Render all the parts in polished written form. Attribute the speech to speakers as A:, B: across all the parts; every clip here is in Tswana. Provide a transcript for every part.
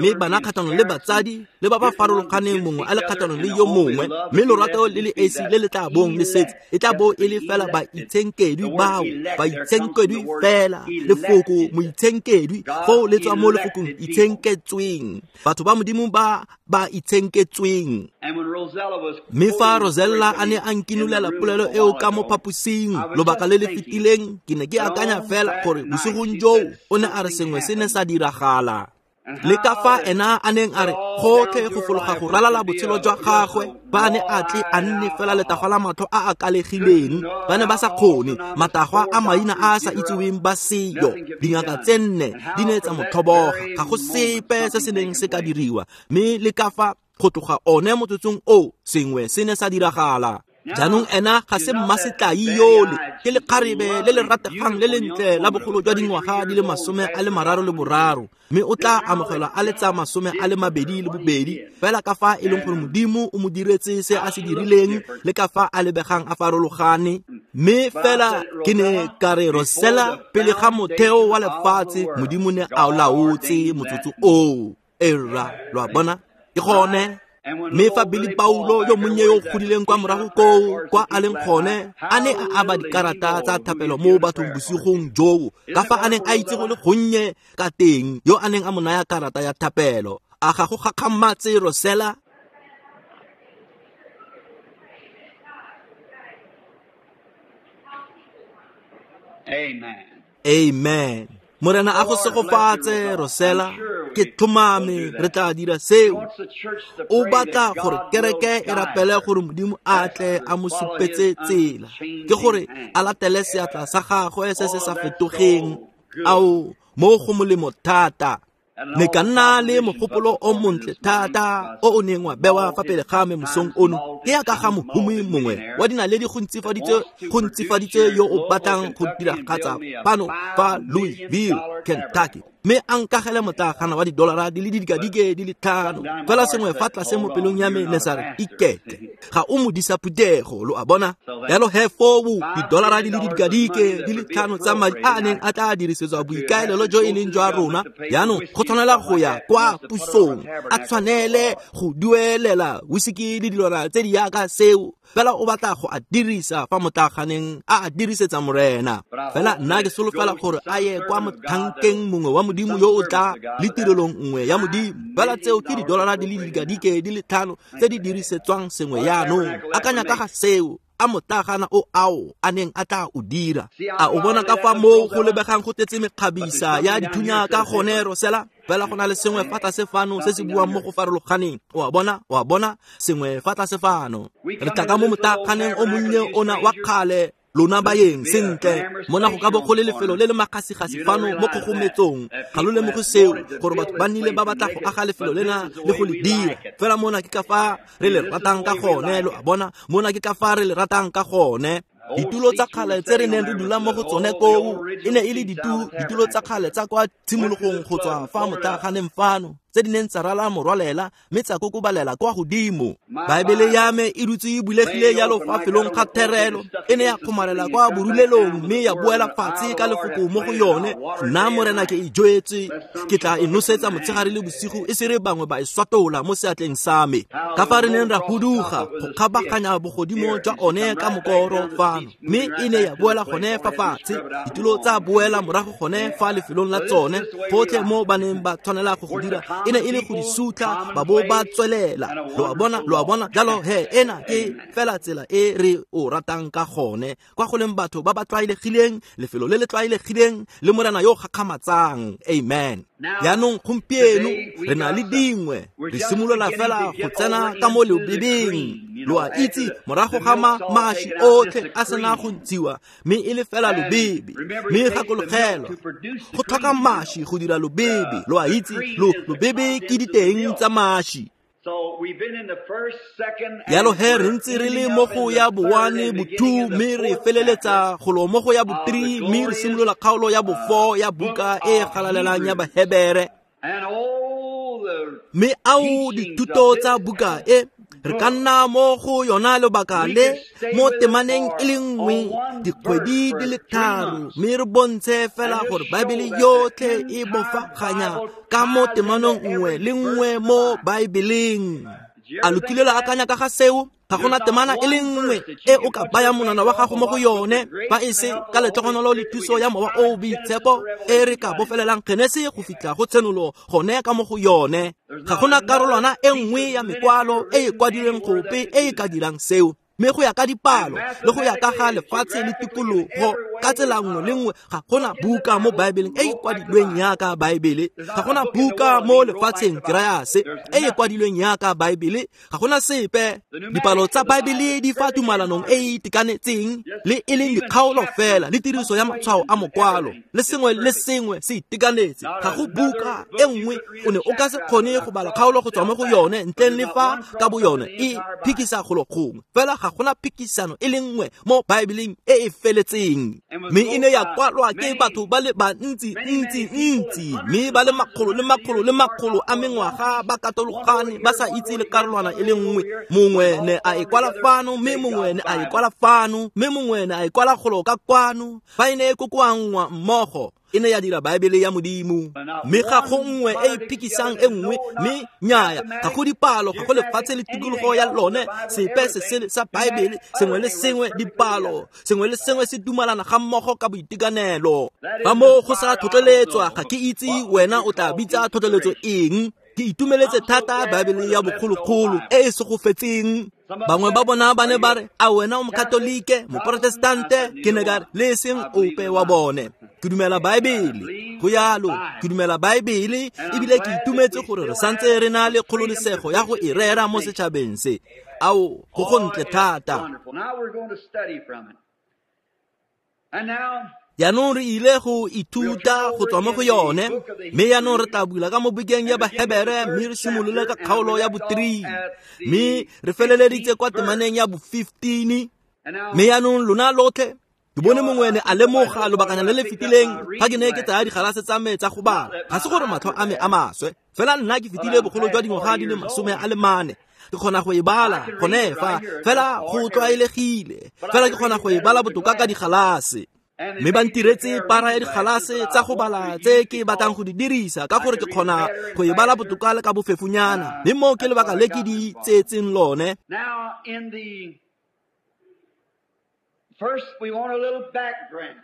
A: mme bana kgatlhanong le batsadi, le ba ba farologaneng mongwe a le kgatlhanong le yo mongwe, mme lorato le le esi le le tla bong le setse e tla bo e le fela baitshenkedwi bao, baitshenkedwi fela. Lefoko moitshenkedwi foo le tswa mo lefokong itshenketsweng, batho ba Modimo ba ba itshenketsweng. Mme fa Rosella a ne a nkinolela polelo eo ka mo phaposing lobaka le le fetileng, ke ne ke akanya fela gore bosigong joo o ne a re sengwe se ne sa diragala. Le ka fa ena a neng a re gotlhe go fologa go ralala botshelo jwa gagwe, ba ne a tle a nne fela letagwa la matlho a a kalegileng, ba ne ba sa kgone matagwa a maina a a sa itseweng ba seyo. Dingaka tse nne di ne tsa mo tlhoboga, ga go sepe se se neng se ka diriwa. Mme le ka fa go tloga one motsotsong o sengwe se ne sa diragala. Jaanong ena ga se mmasetlai yole, ke lekgarebe le le rategang le lentle la bogolo jwa dingwaga di le 33, mme o tla amogelwa a le tsa 22, fela ka fa e leng gore Modimo o mo diretse se a se dirileng le ka fa a lebegang a farologane. Mme fela ke ne ka re Rosella, pele ga motheo wa lefatshe Modimo ne a o laotse motsotso oo. Erra, lo a bona? Ke gone. Mme fa Billy Paulo yo monnye yo o godileng kwa morago koo kwa a leng gone a ne a aba dikarata tsa thapelo mo bathong bosigong joo, ka fa a neng a itse go le gonnye ka teng yo a neng a mo naya karata ya thapelo. A ga go gakgamatse, Rosella?
B: Amen.
A: Amen. Morena a go segofatse, Rosella. Ke tlhomame re tla dira seo. O batla gore kereke e rapele gore Modimo a tle a mo supetse tsela, ke gore a latele seatla sa gagwe se se sa fetogeng. Ao, mo go molemo thata. Ne ka nna le mogopolo o montle thata o o neng wa bewa fa pele ga me mosong ono. Ke ya ka ga mohumi mongwe wa dinaledi go ntsifaditse yo o batlang go diragatsa fano fa Louisville, Kentucky, mme a nkagele motlagana wa didolara di le didikadike di le 5. Fela sengwe fa tlase mo pelong ya me ne sa re, iketle, ga o modisa phuthego, lo a bona. Jalo he foo didolara di le didikadike di le 5 tsa madi a a neng a tla dirisetswa boikaelelo jo e leng jwa rona, jaanong go tshwanela go ya kwa pusong, a tshwanele go duelela whisky le dilwana tse di yaka seo. Fela o batla go a dirisa fa motlaganeng a a dirisetsa Morena. Fela nna ke solofela gore a ye kwa mothankeng mongwe wa Modimo yo o tla le tirelong nngwe ya Modimo. Fela tseo ke didolara di le didikadike di le 5 tse di dirisetswang sengwe yaanong. Akanya ka ga seo, a motlagana o ao a neng a tla o dira. A o bona ka fa moo go lebegang go tletse mekgabisa ya dithunya ka gone, Rosella? Fela go na le sengwe fa tlase fano se se buang mo go farologaneng. O a bona? O a bona? Sengwe fa tlase fano. Re tla ka mo motlaganeng o monnye ona wa kgale, lona baeng, sentle mona go ka bo go le lefelo le le magasigasi fano mo kgogometsong. Ga lo lemoge seo, gore batho ba nnile ba batla go aga lefelo lena le go le dira. Fela mona ke ka fa re le ratang ka gone, lo a bona? Mona ke ka fa re le ratang ka gone. Ditulo tsa kgale tse re neng re dula mo go tsone koo e ne e le ditulo tsa kgale tsa kwa tshimologong go tswa fa motlaganeng fano, tse di neng tsa rala morwalela mme tsa kokobalela kwa godimo. Baebele ya me e dutse e bulegile jalo fa felong ga therelo, e ne ya kgomarela kwa borulelong mme ya boela fatshe ka lefoko mo go yone. Nna Morena ke e jwetse, ke tla e nosetsa motshegare le bosigo, e se re bangwe ba e swatola mo seatleng sa me. Ka fa re neng ra huduga go kgabaganya bogodimo jwa one ka mokoro fano, mme e ne ya boela gone fa fatshe. Ditulo tsa boela morago gone fa lefelong la tsone, gotlhe mo ba neng ba tshwanela go go dira e ne e le go di sutla ba bo ba tswelela. Lo a bona? Lo a bona? Jalo he ena ke fela tsela e re o ratang ka gone, kwa go leng batho ba ba tlwaelegileng, lefelo le le tlwaelegileng le Morena yo o gakgamatsang. Amen. Jaanong gompieno re na le dingwe, re simolola fela go tsena ka mo lobebeng. Lo a itse, morago ga maši otlhe a sena go ntshiwa, mme e le fela lobebe. Mme gakologelwa, go tlhoka maši go dira lobebe. Lo a itse, lobebe ke diteng tsa maši. Jalo he re ntse re le mo go ya bo-1, bo-2, mme re feleletsa golo mo go ya bo-3, mme re simolola kgaolo ya bo-4 ya buka e galalelang ya Bahebere. Mme ao dithuto tsa buka e re ka nna mo go yona lobaka le mo temaneng e le nngwe dikgwedi di le 3, mme re bontshe fela gore Baebele yotlhe e bofaganya ka mo temanong nngwe le nngwe mo Baebeleng. A lo kile la akanya ka ga seo? Ga gona temana e le nngwe e o ka bayang monwana wa gago mo go yone, fa e se ka letlhogonolo le thuso ya Mowa o o Boitshepo e re ka bofelelang Genesi go fitlha go Tshenolo gone ka mo go yone. Ga gona karolwana e nngwe ya mekwalo e e kwadilweng gope e e ka dirang seo. Mme go ya ka dipalo le go ya ka ga lefatshe le tikologo ka tsela nngwe le nngwe, ga gona buka mo Baebeleng e e kwadilweng yaka Baebele. Ga gona buka mo lefatsheng ke raya se e e kwadilweng yaka Baebele. Ga gona sepe. Dipalo tsa Baebele di fa tumalanong e e itekanetseng le e leng dikgaolo fela le tiriso ya matshwao a mokwalo le sengwe le sengwe se itekanetse. Ga go buka e nngwe o ne o ka se kgone go bala kgaolo go tswa mo go yone ntleng le fa ka bo yone e phikisa golo gongwe. Fela ga gona phikisano e le nngwe mo Baebeleng e e feletseng. Mme e ne ya kwalwa ke batho ba le bantsi ntsi ntsi, mme ba le makgolo le makgolo le makgolo a mengwaga ba katologane ba sa itse le karolwana e le nngwe. Mongwe ne a e kwala fano, mme mongwe ne a e kwala fano, mme mongwe ne a e kwala golo ka kwano. Fa e ne e kokoanngwa mmogo, e ne ya dira Baebele ya Modimo. Mme ga go nngwe e e phikisang e nngwe, mme nnyaya, ga go dipalo, ga go lefatshe le tikologo ya lone, sepe se sele sa Baebele, sengwe le sengwe dipalo, sengwe le sengwe se dumalana ga mmogo ka boitekanelo. Fa moo go sa tlhotlheletswa, ga ke itse wena o tla bitsa tlhotlheletso eng. Ke itumeletse thata Baebele ya bogologolo e e segofetseng. Bangwe ba bona ba ne ba re, a wena o Mokatolike, Moprotestante? Ke ne ka re, le seng ope wa bone. Ke dumela Baebele. Go yalo, ke dumela Baebele, ebile ke itumetse gore re santse re na le kgololesego ya go e rera mo setšhabeng se. Ao, go gontle thata. Jaanong re ile go ithuta go tswa mo go yone, mme jaanong re tla bula ka mo bukeng ya Bahebere, mme re simolole ka kgaolo ya bo-3, mme re feleleditse kwa temaneng ya bo-15. Mme jaanong lona lotlhe, ke bone mongwe ne a lemoga lobakanyana le le fetileng fa ke ne ke tsaya digalase tsa me tsa go bala. Ga se gore matlho a me a maswe, fela nna ke fetile bogolo jwa dingwaga di le 44. Ke kgona go e bala gone fa, fela go tlwaelegile, fela ke kgona go e bala botoka ka digalase. Mme ba ntiretse para ya digalase tsa go bala tse ke batlang go di dirisa ka gore ke kgona go e bala botoka le ka bofefonyana, mme moo ke lebaka le ke di tseetseng lone.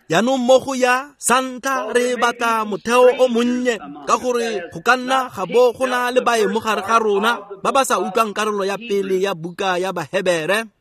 A: Jaanong mo go ya santlha re batla motheo o monnye, ka gore go ka nna ga bo go na le baeng mo gare ga rona ba ba sa utlwang karolo ya pele ya buka ya Bahebere.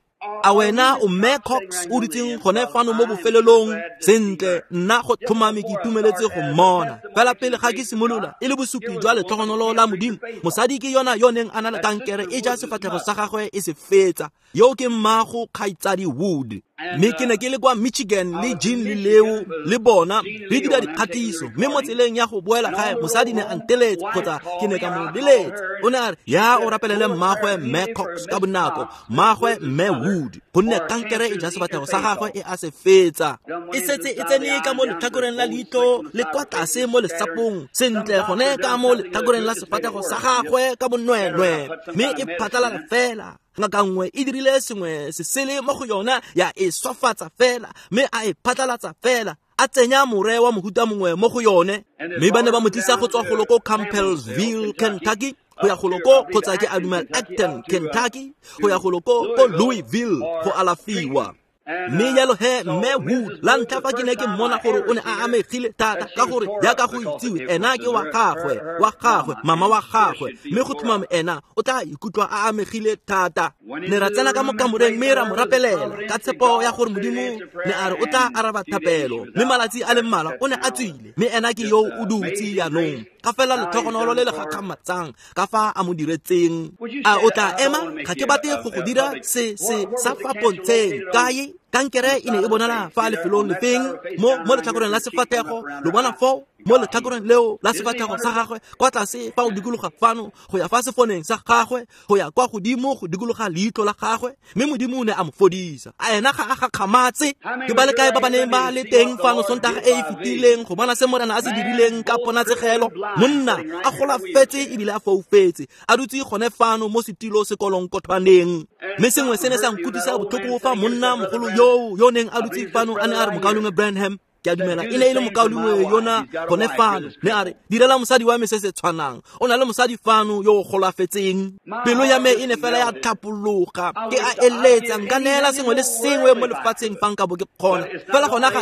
A: A wena o Mme Cox o dutseng gone fano mo bofelelong? Sentle, nna go tlhomame ke itumeletse go mmona. Fela pele ga ke simolola, e le bosupi jwa letlhogonolo la Modimo, mosadi ke yona yo neng a na le kankere e ja sefatlhego sa gagwe e se fetsa. Yo ke mmago kgaitsadi Wood. Mme ke ne ke le kwa Michigan le Jean le Leo le bona re dira dikgatiso, mme mo tseleng ya go boela gae mosadi ne a nteletse, kgotsa ke ne ka mo leletsa. O ne a re, ya o rapelele mmagwe Mme Cox ka bonako, mmagwe Mme Wood, gonne kankere e ja sefatlhego sa gagwe e a se fetsa. E setse e tsene ka mo letlhakoreng la leitlho le kwa tlase mo lesapong, sentle gone ka mo letlhakoreng la sefatlhego sa gagwe ka bonweenwee, mme e phatlalala fela. Ngaka nngwe e dirile sengwe se sele mo go yona ya e swafatsa fela, mme a e phatlalatsa fela, a tsenya more wa mohuta mongwe mo go yone. Mme ba ne ba mo tlisa go tswa golo ko Campbellsville, Kentucky, go ya golo ko, kgotsa ke a dumela Acton, Kentucky, go ya golo ko Louisville go alafiwa. Mme jalo he Mme Wood, la ntlha fa ke ne ke mmona gore o ne a amegile thata, ka gore jaaka go itsiwe ena ke wa gagwe, mama wa gagwe, mme go tlhomame ena o tla ikutlwa a amegile thata. Ne ra tsena ka mo kamoreng mme ra mo rapelela ka tshepo ya gore Modimo ne a re o tla araba thapelo, mme malatsi a le mmalwa o ne a tswile, mme ena ke yo o dutse jaanong. Ka fela letlhogonolo le le gakgamatsang ka fa a mo diretseng. A o tla ema? Ga ke batle go go dira se sa fa pontsheng. Kae? Kankere e ne e bonala fa lefelong lefeng mo letlhakoreng la sefatlhego, lo bona foo mo letlhakoreng leo la sefatlhego sa gagwe, kwa tlase fa o dikologa fano go ya fa sefoneng sa gagwe, go ya kwa godimo go dikologa leitlho la gagwe, mme Modimo o ne a mo fodisa. A ena ga a gakgamatse? Ke ba le kae ba ba neng ba le teng fano Sontaga e e fetileng go bona se Morena a se dirileng ka ponatshegelo? Monna a golafetse ebile a foufetse, a dutse gone fano mo setilo sekolonkothwaneng. Mme sengwe se ne sa nkutlwisa botlhoko fa monna mogolo yo neng a dutse fano a ne a re, Mokaulengwe Branham, ke a dumela e ne e le mokaulengwe yona gone fano, ne a re, direla mosadi wa me se se tshwanang, o na le mosadi fano yo o golafetseng. Pelo ya me e ne fela ya tlhapologa, ke a eletsa nka neela sengwe le sengwe mo lefatsheng fa nka bo ke kgona, fela gona ga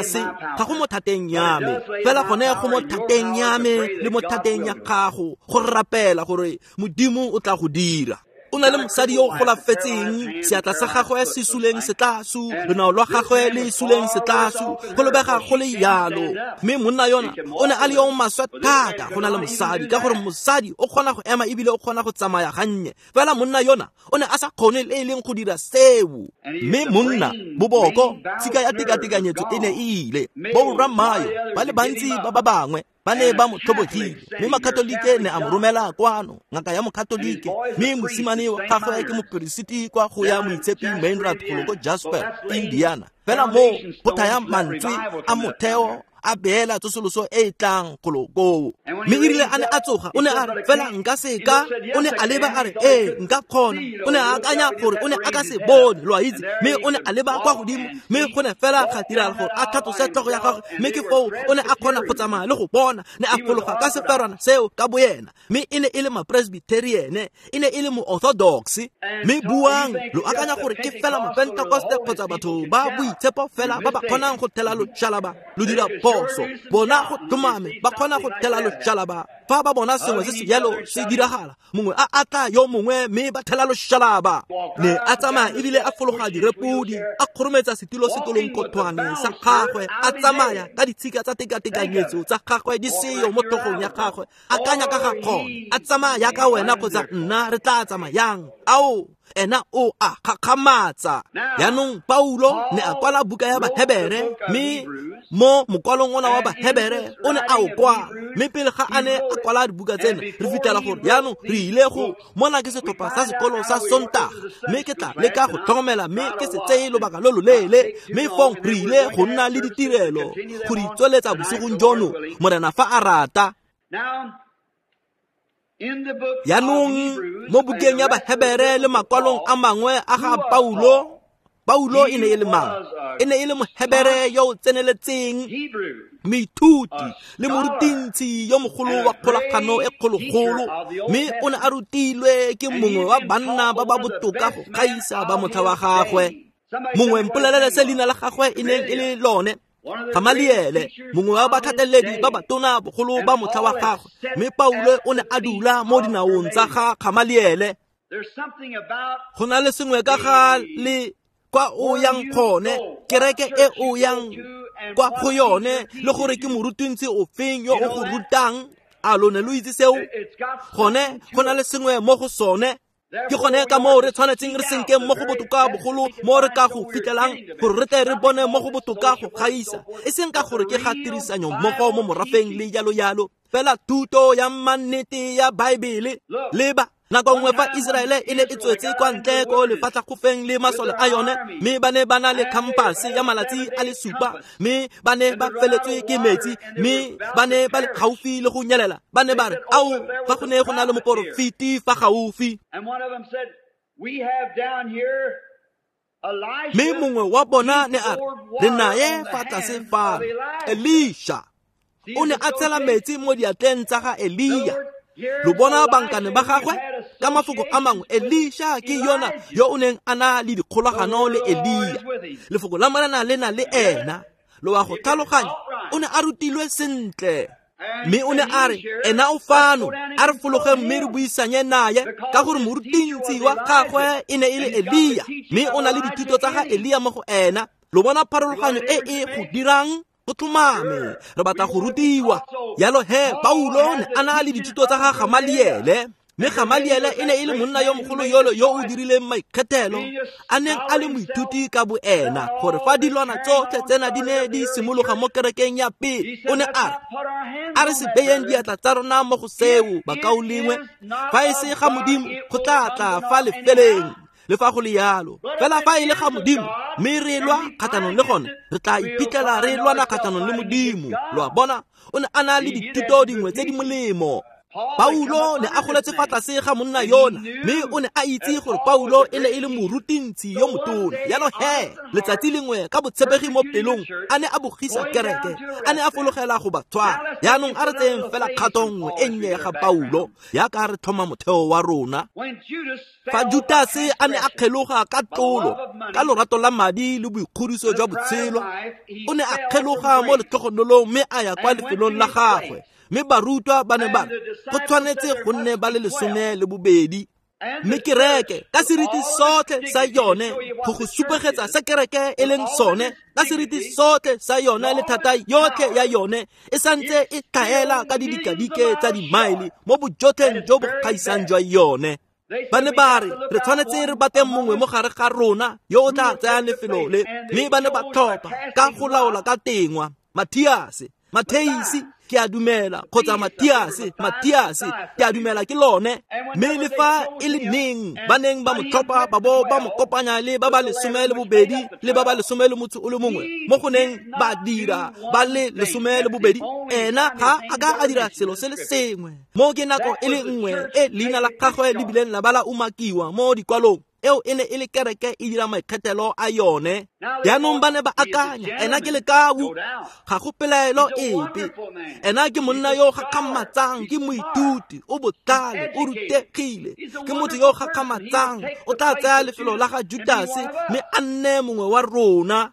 A: go mo thateng ya me, fela gone go mo thateng ya me le mo thateng ya gago go rapela gore Modimo o tla go dira. O na le mosadi yo o golafetseng, seatla sa gagwe se suleng setlasu, lonao lwa gagwe le suleng setlasu, go lebega go le yalo. Mme monna yona o ne a le yo maswe thata go na le mosadi, ka gore mosadi o kgona go ema ebile o kgona go tsamaya gannye, fela monna yona o ne a sa kgone le e leng go dira seo. Mme monna boboko, tshika ya tekatekanyetso e ne e ile. Borra Mayo ba le bantsi ba ba bangwe ba ne ba mo tlhobogile, mme makatolike ne a mo romela kwano, ngaka ya mokatolike, mme mosimane wa gagwe ke moperesiti kwa go ya Moitshepi Meinrad golo ko Jasper, Indiana. Fela mo go thaya mantswe a motheo a beela tsosoloso e e tlang golo koo. Mme erile a ne a tsoga, o ne a re, fela nka seka. O ne a leba a re, ee, nka kgona. O ne a akanya gore o ne a ka se bone, lo a itse. Mme o ne a leba kwa godimo, mme go ne fela ga diragala gore a tlhatlose tlhogo ya gagwe, mme ke foo o ne a kgona go tsamaya le go bona. Ne a fologa ka seferwana seo ka boyena. Mme e ne e le ma-Presbyterian, e ne e le mo-Orthodox. Mme buang, lo akanya gore ke fela ma-Pentecoste kgotsa batho ba boitshepo fela ba ba kgonang go thela loshalaba, lo dira phoso. Bona go tlhomame ba kgona go thela loshalaba. Fa ba bona sengwe se se jalo se diragala, mongwe a atla yo mongwe mme ba thela loshalaba. Ne a tsamaya ebile a fologa direpodi, a kgorometsa setilo setolongkothwane sa gagwe, a tsamaya ka ditshika tsa tekatekanyetso tsa gagwe di seyo mo tlhogong ya gagwe. Akanya ka ga gone, a tsamaya jaaka wena kgotsa nna re tla tsamayang. Ao, ena o a gakgamatsa. Jaanong Paulo ne a kwala buka ya Bahebere, mme mo mokwalong ona wa Bahebere o ne a o kwala. Mme pele ga a ne a kwala dibuka tsena, re fitlhela gore jaanong re ile go mona ke setlhopha sa sekolo sa Sontaga, mme ke tla leka go tlhokomela mme ke se tseye lobaka lo loleele. Mme fong re ile go nna le ditirelo go di tsweletsa bosigong jono, Morena fa a rata. Jaanong mo bukeng ya Bahebere le makwalong a mangwe a ga Paulo, Paulo e ne e le mang? E ne e le Mohebere yo o tseneletseng, moithuti le morutintshi yo mogolo wa kgolagano e kgologolo, mme o ne a rutilwe ke mongwe wa banna ba ba botoka go gaisa ba motlha wa gagwe. Mongwe mpolelele se leina la gagwe e neng e le lone, Gamaliele, mongwe wa batlhateledi ba batona bogolo ba motlha wa gagwe. Mme Paulo o ne a dula mo dinaong tsa ga Gamaliele. Go na le sengwe ka ga le kwa o yang gone, kereke e o yang kwa go yone, le gore ke morutintsi ofeng yo o go rutang. A lo ne lo itse seo? Gone go na le sengwe mo go sone. Ke gone ka moo re tshwanetseng re senkeng mo go botoka bogolo mo re ka go fitlhelang, gore re tle re bone mo go botoka go gaisa, e seng ka gore ke ga tirisanyo mmogo mo morafeng le jalo jalo, fela thuto ya mannete ya Baebele. Leba, nako nngwe fa Iseraele e ne e tswetse kwa ntle ko lefatlhagofeng le masole a yone, mme ba ne ba na le khampase ya malatsi a le supa, mme ba ne ba feletswe ke metsi, mme ba ne ba le gaufi le go nyelela. Ba ne ba re, ao, fa go ne go na le moporofeti fa gaufi. Mme mongwe wa bona ne a re, re naye fa tlase fano, Elisha. O ne a tshela metsi mo diatleng tsa ga Elia. Lo bona bankane ba gagwe? Ka mafoko a mangwe, Elisha ke yona yo o neng a na le dikgolagano le Elia. Lefoko la Morena le na le ena. Lo wa go tlhaloganya, o ne a rutilwe sentle. Mme o ne a re, ena o fano, a re fologe mme re buisanye naye, ka gore morutintsi wa gagwe e ne e le Elia, mme o na le dithuto tsa ga Elia mo go ena. Lo bona pharologanyo e e go dirang? Go tlhomame, re batla go rutiwa. Jalo he, Paulo ne a na le dithuto tsa ga Gamaliele, mme Gamaliele e ne e le monna yo mogolo yolo yo o dirileng maikgethelo, a neng a le moithuti ka boena, gore fa dilwana tsotlhe tsena di ne di simologa mo kerekeng ya pele, o ne a re, a re se beyeng diatla tsa rona mo go seo, bakaulengwe, fa e se ga Modimo, go tla tla fa lefeleng. Le fa go le yalo, fela fa e le ga Modimo, mme re lwa kgatlhanong le gone, re tla iphitlhela re lwana kgatlhanong le Modimo. Lo a bona, o ne a na le dithuto dingwe tse di molemo. Paulo ne a goletse fa tlase ga monna yona, mme o ne a itse gore Paulo e ne e le morutintshi yo motona. Jalo he, letsatsi lengwe ka botshepegi mo pelong, a ne a bogisa kereke, a ne a fologela go ba tshwara. Jaanong a re tseyeng fela kgato nngwe e nnye ya ga Paulo, jaaka re tlhoma motheo wa rona. Fa Judase a ne a kgeloga ka tlolo, ka lorato la madi le boikgodiso jwa botshelo, o ne a kgeloga mo letlhogonolong mme a ya kwa lefelong la gagwe. Mme barutwa ba ne ba re, go tshwanetse go nne ba le 12. Mme kereke ka seriti sotlhe sa yone go go supegetsa se kereke e leng sone, ka seriti sotlhe sa yone le thata yotlhe ya yone e santse e tlhaela ka didikadike tsa dimaele mo bojotlheng jo bo gaisang jwa yone. Ba ne ba re re tshwanetse re batle mongwe mo gare ga rona yo o tla tsayang lefelo le, mme ba ne ba tlhopha ka go laola ka tengwa Mathiase, Matheisi ke a dumela, kgotsa Mathiase, Mathiase ke a dumela ke lone. Mme le fa e le neng ba neng ba mo tlhopha ba bo ba mo kopanya le ba ba 12 le ba ba 11 mo go neng ba dira ba le 12, ena ga a ka a dira selo se le sengwe. Mo ke nako e le nngwe e leina la gagwe le bileng la ba la umakiwa mo dikwalong, eo e ne e le kereke e dira maikgethelo a yone. Jaanong ba ne ba akanya ena ke lekau, ga go pelaelo epe, ena ke monna yo o gakgamatsang, ke moithuti, o botlhale, o rutegile, ke motho yo o gakgamatsang, o tla tsaya lefelo la ga Judase mme a nne mongwe wa rona.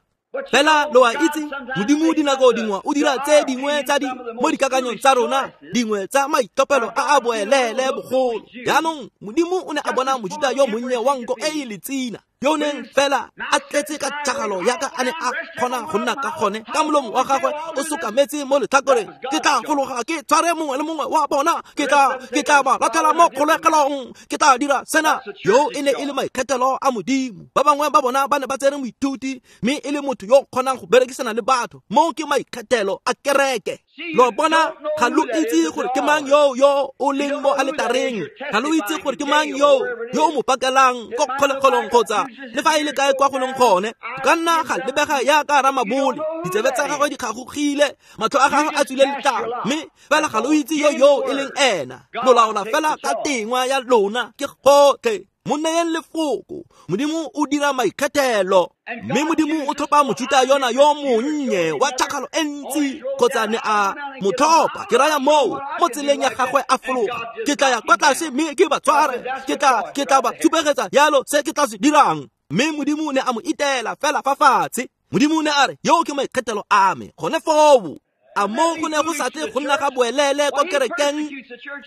A: Fela lo a itse, Modimo dinako dingwe o dira tse dingwe tsa di mo dikakanyong tsa rona, dingwe tsa maitlhophelo a a boelele bogolo. Jaanong Modimo o ne a bona Mojuta yo monnye wa nko e e letsina, yo neng fela a tletse ka tšhakgalo yaka a ne a kgona go nna ka gone, ka molomo wa gagwe o sokametse mo letlhakoreng. Ke tla fologa ke tshware mongwe le mongwe wa bona, ke tla ba latlhela mo kgolegelong, ke tla dira sena. Yo e ne e le maikgethelo a Modimo. Ba bangwe ba bona ba ne ba tsere moithuti mme e le motho yo o kgonang go berekisana le batho. Mo ke maikgethelo a kereke. Lo bona, ga lo itse gore ke mang yo yo o leng mo aletareng, ga lo itse gore ke mang yo yo o mo pakelang ko kgolegelong kgotsa le fa e le kae kwa go leng gone. Go ka nna ga lebega yaka ramabole, ditsebe tsa gagwe di kgagogile, matlho a gagwe a tswile letlalo, mme fela ga lo itse yo yo e leng ena. Lo laola fela ka tengwa ya lona, ke gotlhe. Mo neyeng lefoko, Modimo o dira maikgethelo. Mme Modimo o tlhopha Mojuta yona yo monnye wa tšhakgalo e ntsi, kgotsa ne a mo tlhopha, ke raya moo, mo tseleng ya gagwe a fologa. Ke tla ya kwa tlase mme ke ba tshware, ke tla ba tshupegetsa yalo se ke tla se dirang. Mme Modimo ne a mo itela fela fa fatshe. Modimo ne a re, yo ke maikgethelo a me, gone foo. A mo go ne go sa tle go nna ga boelele kwa kerekeng?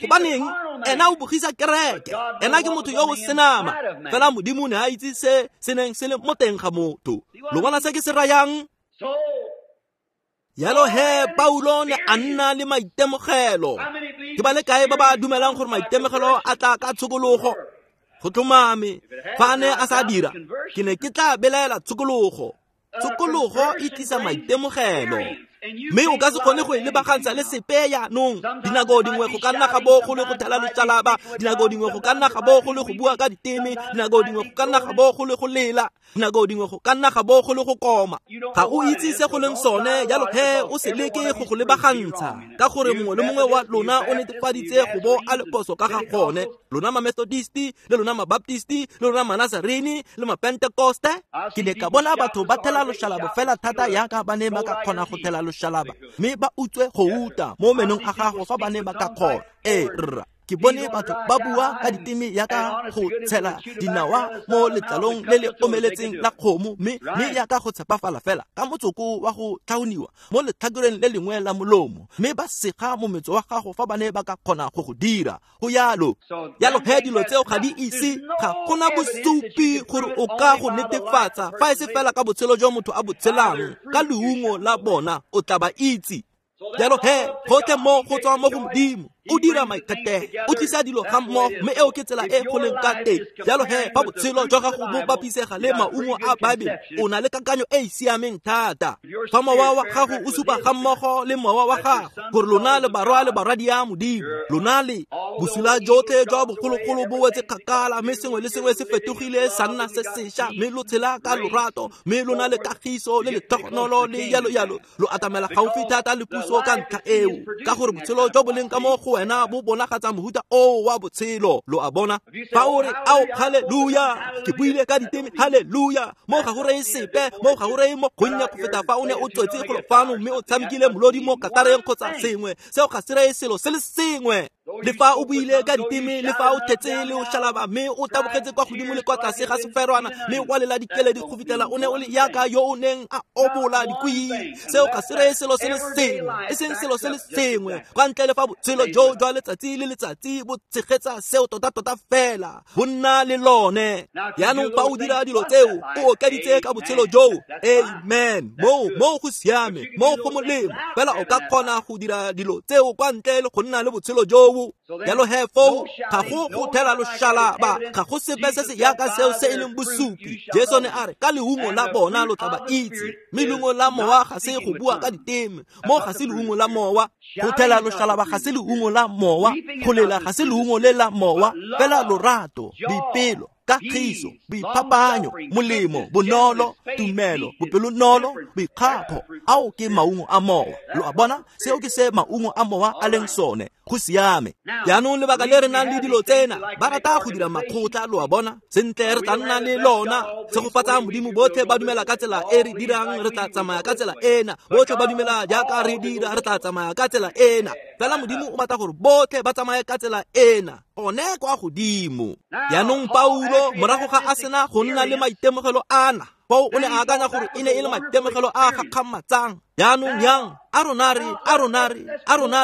A: Gobaneng ena o bogisa kereke, ena ke motho yo o senama. Fela Modimo ne a itse se se neng se le mo teng ga motho. Lo bona se ke se rayang? Yalo he Paulo ne a nna le maitemogelo. Ke ba le kae ba ba dumelang gore maitemogelo a tla ka tshokologo? Go tlhomame, fa a ne a sa dira, ke ne ke tla belaela tshokologo. Tshokologo e tlisa maitemogelo, mme o ka se kgone go e lebagantsha le sepe yaanong. Dinako dingwe go ka nna ga bo go le go thela loshalaba, dinako dingwe go ka nna ga bo go le go bua ka diteme, dinako dingwe go ka nna ga bo go le go lela, dinako dingwe go ka nna ga bo go le go koma. Ga o itse se go leng sone, jalo he o se leke go go lebagantsha, ka gore mongwe le mongwe wa lona o netefaditse go bo a le phoso ka ga gone. Lona ma-Methodisti le lona ma-Baptisti le lona ma-Nazarene le ma-Pentecoste. Ke ne ka bona batho ba thela loshalaba fela thata yaka ba ne ba ka kgona go thela loshalaba, mme ba utswe go uta mo menong a gago fa ba ne ba ka kgona. Ee rra, ke bone batho ba bua ka diteme yaka go tshela dinawa mo letlalong le le omeletseng la kgomo, mme yaka go tshepafala fela ka motsoko wa go tlhaoniwa mo letlhakoreng le lengwe la molomo, mme ba sega mometso wa gago fa ba ne ba ka kgona go go dira. Go yalo. Yalo he dilo tseo ga di ise, ga gona bosupi gore o ka go netefatsa fa e se fela ka botshelo jo motho a bo tshelang, ka leungo la bona o tla ba itse. Jalo he gotlhe mo go tswa mo go Modimo, o dira maikgethelo, o tlisa dilo ga mmogo, mme eo ke tsela e go leng ka teng. Jalo he fa botshelo jwa gago bo bapisega le maungo a Baebele, o na le kakanyo e e siameng thata. Fa mowa wa gago o supa ga mmogo le mowa wa gago gore lona le barwa le barwadia Modimo, lona le bosula jotlhe jwa bogologolo bo wetse kgakala, mme sengwe le sengwe se fetogile sa nna se sešwa, mme lo tshela ka lorato, mme lona le kagiso le letlhogonolo le yalo yalo. Lo atamela gaufi thata le puso ka ntlha eo, ka gore botshelo jo bo leng ka mo go wena bo bonagatsa mohuta oo wa botshelo. Lo a bona? Fa o re ao haleluya, ke buile ka diteme, haleluya, mo ga go reye sepe, mo ga go reye mo gonnye go feta fa o ne o tswetse golo fano mme o tshamekile molodi mo katareng kgotsa sengwe. Seo ga se reye selo se le sengwe. Le fa o buile ka diteme, le fa o thetse le o shalaba, mme o tabogetse kwa godimo le kwa tlase ga seferwana, mme wa lela dikeledi go fitlhela o ne o le yaka yo o neng a obola dikwii. Seo ga se reye selo se le sengwe, e seng selo se le sengwe, kwa ntle le fa botshelo jo jwa letsatsi le letsatsi bo tshegetsa seo tota-tota fela, bo nna le lone. Jaanong fa o dira dilo tseo, o okeditse ka botshelo joo. Amen. Moo go siame, moo go molemo, fela o ka kgona go dira dilo tseo kwa ntle le go nna le botshelo joo. Jalo he foo ga go go thela loshalaba, ga go sepe se se yaka seo se e leng bosupi. Jesu ne a re ka leungo la bona lo tla ba itse, mme leungo la mowa ga se go bua ka diteme, mo ga se leungo la mowa. Go thela loshalaba ga se leungo la mowa, go lela ga se leungo le la mowa, fela lorato, boipelo, kagiso, boiphapanyo, molemo, bonolo, tumelo, bopelonolo, boikgapho. Ao ke maungo a mowa. Lo a bona, seo ke se maungo a mowa a leng sone. Go siame. Jaanong lebaka le re nang le dilo tsena, ba rata go dira makgotla, lo a bona. Sentle re tla nna le lona. Tshegofatsa Modimo, botlhe ba dumela ka tsela e re dirang, re tla tsamaya ka tsela ena. Botlhe ba dumela jaaka re dira, re tla tsamaya ka tsela ena. Fela Modimo o batla gore botlhe ba tsamaye ka tsela ena, one kwa godimo. Jaanong Paulo, morago ga a sena go nna le maitemogelo ana, foo o ne a akanya gore e ne e le maitemogelo a gakgamatsang. Jaanong yang, a rona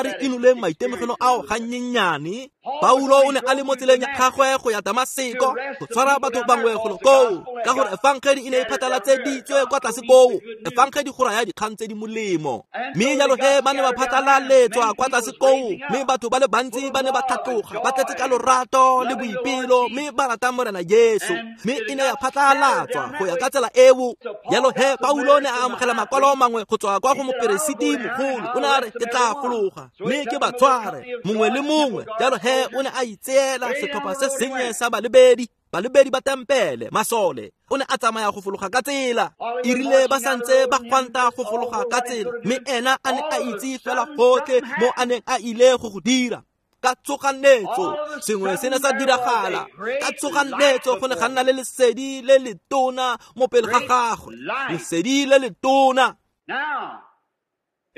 A: re inoleng maitemogelo ao gannyenyane. Paulo o ne a le mo tseleng ya gagwe go ya Damaseko go tshwara batho bangwe golo koo, ka gore efangedi e ne e phatlalatseditswe kwa tlase koo. Efangedi go raya dikgang tse di molemo. Mme jalo he ba ne ba phatlalaletswa kwa tlase koo, mme batho ba le bantsi ba ne ba tlhatloga, ba tletse ka lorato le boipelo, mme ba rata Morena Jesu. Mme e ne ya phatlalatswa go ya ka tsela eo. Jalo he Paulo ne a amogela makwalo mangwe go tswa kwa go moperesiti mogolo. O ne a re ke tla fologa mme ke ba tshware mongwe le mongwe. Jalo he o ne a itseela setlhopha se sennye sa balebedi ba tempele, masole. O ne a tsamaya go fologa ka tsela. E rile ba santse ba gwanta go fologa ka tsela, mme ena a ne a itse fela gotlhe mo a neng a ile go go dira. Ka tshoganyetso sengwe se ne sa diragala. Ka tshoganyetso go ne ga nna le lesedi le letona mo pele ga gagwe, lesedi le letona.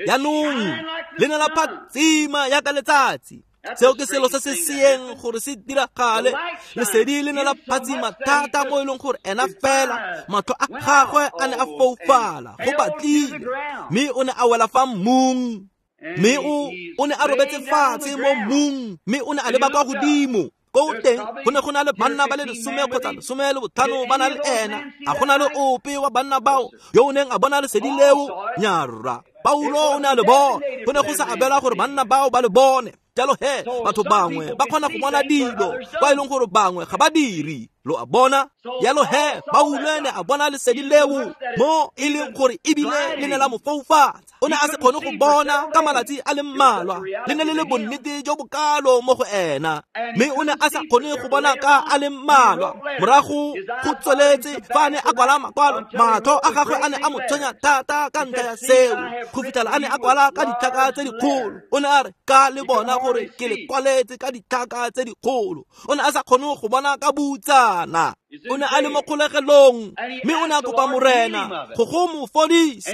A: Jaanong le ne la phatsima yaka letsatsi. Seo ke selo se se seeng gore se diragale. Lesedi le ne la phatsima thata mo e leng gore ena fela matlho a gagwe a ne a foufala go batlile, mme o ne a wela fa mmung. Mme o ne a robetse fatshe mo mmung, mme o ne a leba kwa godimo. Ko teng go ne go na le banna ba le 10 kgotsa 15 ba na le ena. A go na le ope wa banna bao yo o neng a bona lesedi leo? Nyarra. Paulo o ne a le bona. Go ne go sa abelwa gore banna bao ba le bone. Jalo he batho bangwe ba kgona go bona dilo kwa e leng gore bangwe ga ba dire. Lo a bona. Jalo he Paulo ne a bona lesedi leo mo e leng gore ebile le ne la mo foufatsa. O ne a se kgone go bona ka malatsi a le mmalwa. Le ne le le bonnete jo bokalo mo go ena, mme o ne a sa kgone go bona ka a le mmalwa. Morago go tsweletse fa a ne a kwala makwalo, matlho a gagwe a ne a mo tshwenya thata ka ntlha ya seo, go fitlhela a ne a kwala ka ditlhaka tse dikgolo. O ne a re ka le bona gore ke le kwaletse ka ditlhaka tse dikgolo. O ne a sa kgone go bona ka butsana. O ne a le mo kgolegelong, mme o ne a kopa Morena go mo fodisa,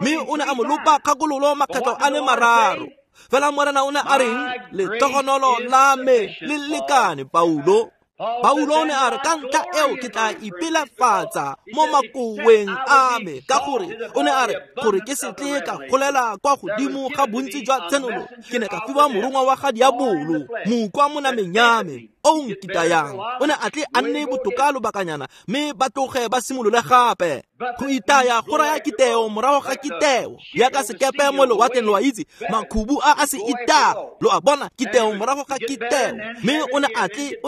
A: mme o ne a mo lopa kgakololo makgetlo a le mararo. Fela Morena o ne a reng? Lehlogonolo la me le lekane, Paulo. Paulo o ne a re ka ntlha eo ke tla ipelafatsa mo makoweng a me, ka gore o ne a re gore ke se tle ka golela kwa godimo ga bontsi jwa tshenolo, ke ne ka fiwa morongwa wa ga diabolo, mokwa mo nameng ya me o nkitayang. O ne a tle a nne botoka lobakanyana, mme ba tloge ba simolole gape. Go itaya go raya kiteo morago ga kiteo, yaka sekepe mo lewatleng, lo a itse makhubu a a se itaya. Lo a bona, kiteo morago ga kiteo. Mme o ne a tle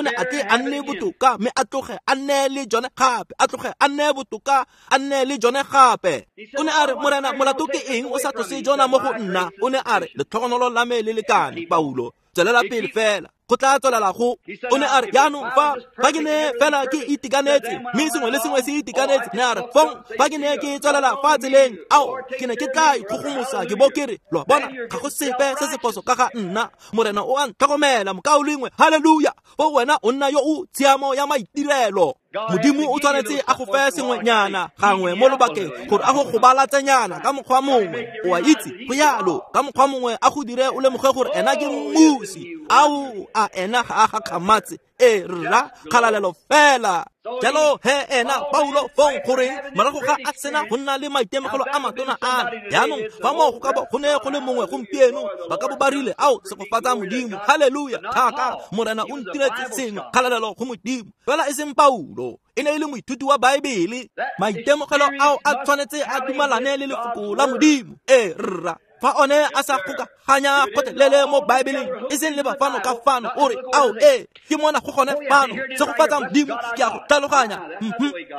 A: a nne botoka, mme a tloge a nne le jone gape, a tloge a nne botoka, a nne le jone gape. O ne a re, Morena, molato ke eng o sa tlose jona mo go nna? O ne a re, letlhogonolo la me le lekane, Paulo, tswelela pele fela. Go tla tswelela go. O ne a re, jaanong fa ke ne fela ke itekanetse, mme sengwe le sengwe se itekanetse, ne a re fong fa ke ne ke tswelela fa tseleng, ao ke ne ke tla ikgogomosa ke bo ke re, lo a bona, ga go sepe se se phoso ka ga nna, Morena o a ntlhokomela, mokaulengwe, haleluya. Fo wena o nna yo o tshiamo ya maitirelo. Modimo o tshwanetse a go fe sengwenyana gangwe mo lobakeng gore a go gobalatsenyana ka mokgwa mongwe, o a itse, go yalo, ka mokgwa mongwe a go dire o lemoge gore ena ke mmusi. Ao, a ena ga a gakgamatse? E rra, kgalalelo fela. Jalo he ena Paulo fong goreng morago ga a sena go nna le maitemogelo a matona ana, jaanong fa moo go ka bo go ne go le mongwe gompieno, ba ka bo ba rile, ao, segofatsa Modimo, halleluja, thaka, Morena o ntiretse sengwe, kgalalelo go Modimo. Fela e seng Paulo, e ne e le moithuti wa Baebele. Maitemogelo ao a tshwanetse a dumalane le lefoko la Modimo. E rra, fa one a sa kgokaganya gotlhelele mo Baebeleng, e seng le ba fano ka fano, o re, ao, e ke mona go gone fano, segofatsa Modimo, ke a go tlhaloganya.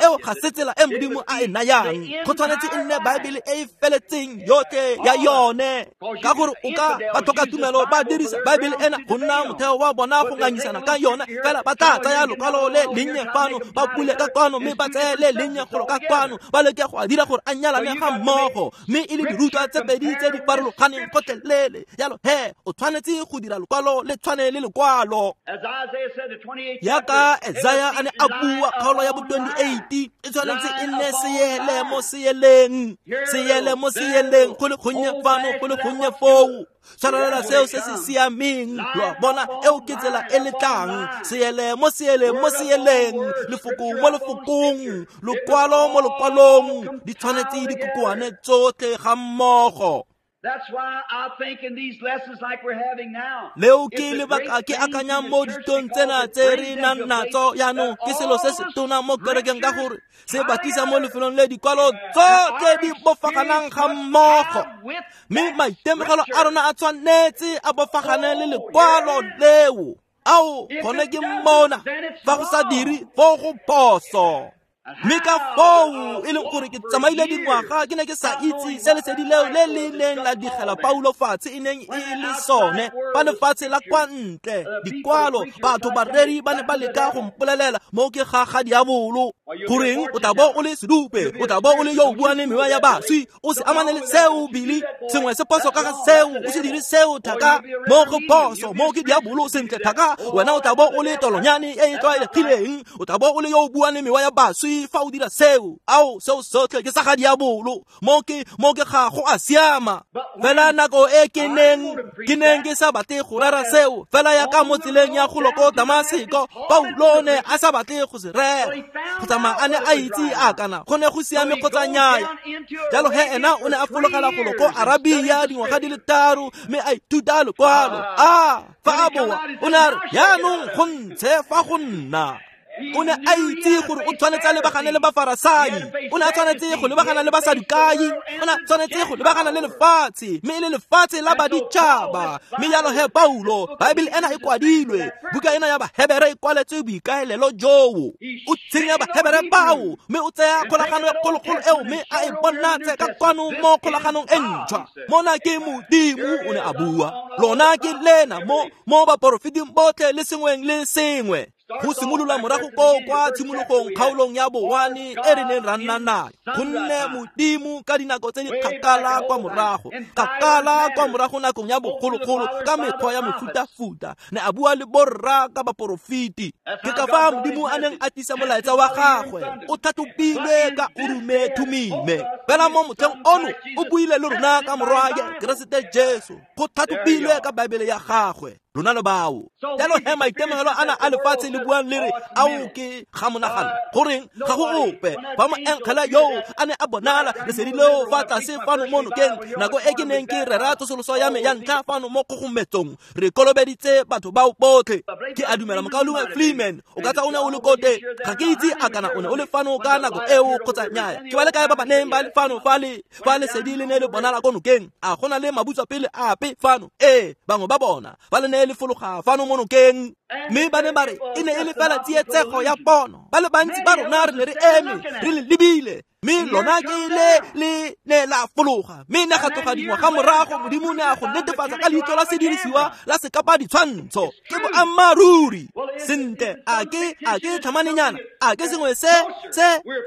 A: Eo ga se tsela e Modimo a e nayang. Go tshwanetse e nne Baebele e e feletseng yotlhe ya yone, ka gore o ka ba tlhoka tumelo ba dirisa Baebele ena go nna motheo wa bona go ngangisana ka yone, fela ba tla tsaya lokwalo le lennye fano, ba bule ka kwano, mme ba tseye le lennye golo ka kwano, ba leke go a dira gore a nyalane ga mmogo, mme e le dirutwa tse pedi tse di farologaneng gotlhelele. Jalo he o tshwanetse go dira lokwalo le tshwane le lekwalo. Yaka Isaiah a ne a bua kgaolo ya bo 28, e tshwanetse e nne seele mo seeleng, seele mo seeleng, go le gonnye fano, go le gonnye foo. Tshwarelela seo se se siameng, lo a bona, eo ke tsela e le tlang. Seele mo seele mo seeleng, lefoko mo lefokong, lokwalo mo lokwalong, di tshwanetse di kokoane tsotlhe ga mmogo. Leo ke lebaka ke akanyang mo ditong tsena tse re nang natso jaanong, ke selo se se tona mo kerekeng, ka gore se ba tlisa mo lefelong le dikwalo tsotlhe di bofaganang ga mmogo, mme maitemogelo a rona a tshwanetse a bofagane le lekwalo leo. Ao, gone ke mmona, fa go sa dire foo go phoso. Mme ka foo e leng gore ke tsamaile dingwaga ke ne ke sa itse se lesedi leo le le neng la digela Paulo fatshe e neng e le sone, fa lefatshe la kwa ntle, dikwalo, batho, bareri ba ne ba leka go mpolelela mo ke ga ga diabolo. Goreng o tla bo o le sedupe, o tla bo o le yo o buang le mewa ya baswi, o se amane le seo, Billy, sengwe se phoso ka ga seo, o se dire seo thaka, mo go phoso, mo ke diabolo, sentle thaka, wena o tla bo o le tolonyane e e tlwaelegileng, o tla bo o le yo o buang le mewa ya baswi fa o dira seo. Ao, seo sotlhe ke sa ga diabolo, mo ke ga go a siama. Fela nako e ke neng ke sa batle go rera seo, fela ya ka mo tseleng ya go loko Damaseko, Paulo ne a sa batle go se rera, go tsamaya a ne a itse a kana go ne go siame kgotsa nnyaya. Jalo he ena o ne a fologela go loko Arabia dingwaga di le 3, mme a ithuta lekwalo. A fa a boa o ne a re, jaanong go ntshe fa go nna. O ne a itse gore o tshwanetse a lebagane le Bafarasai, o ne a tshwanetse go lebagana le Basadukai, o ne a tshwanetse go lebagana le lefatshe, mme e le lefatshe la baditšhaba. Mme jalo he Paulo, Baebele ena e kwadilwe, buka ena ya Bahebere e kwaletswe boikaelelo joo. O tsenya Bahebere bao, mme o tsaya kgolagano e kgologolo eo, mme a e bonatse ka kwano mo kgolaganong e ntšhwa. Mona ke Modimo o ne a bua, lona ke lena mo baporofeting botlhe le sengweng le sengwe. Go simolola morago koo kwa tshimologong kgaolong ya bowane e re neng ra nna nayo, gonne Modimo ka dinako tse di kgakala kwa morago, kgakala kwa morago nakong ya bogologolo, ka mekgwa ya mefutafuta, ne a bua le borra ka baporofeti. Ke ka fa Modimo a neng a tlisa molaetsa wa gagwe, o tlhatlhobilwe ka Urume Thumime. Fela mo motlheng ono o buile le rona ka morwaye Keresete Jesu, go tlhatlhobilwe ka Baebele ya gagwe. Lona le bao. Jalo he maitemogelo ana a lefatshe le buang le re, ao ke ga monagano, goreng ga go ope fa moengele yo a ne a bonala lesedi leo fa tlase fano mo nokeng, nako e ke neng ke rera tsosoloso ya me ya ntlha fano mo kgogometsong, re kolobeditse batho bao botlhe. Ke a dumela mokaulengwe Freeman o ka tsa o ne o le ko teng, ga ke itse a kana o ne o le fano ka nako eo kgotsa nnyaya. Ke ba le kae ba ba neng ba le fano fa lesedi le ne le bonala ko nokeng? A go na le mabutswapele ape fano? Ee, bangwe ba bona ba le ne le fologa fano mo nokeng, mme ba ne ba re e ne e le fela tsietsego ya pono. Ba le bantsi ba rona re ne re eme re le lebile, Mme lona ke le ne la fologa, mme ne ga tloga dingwaga morago Modimo ne a go netefatsa ka leitlho la sedirisiwa la sekapa ditshwantsho. Ke boammaaruri. Sentle, a ke tlhamanenyana, a ke sengwe se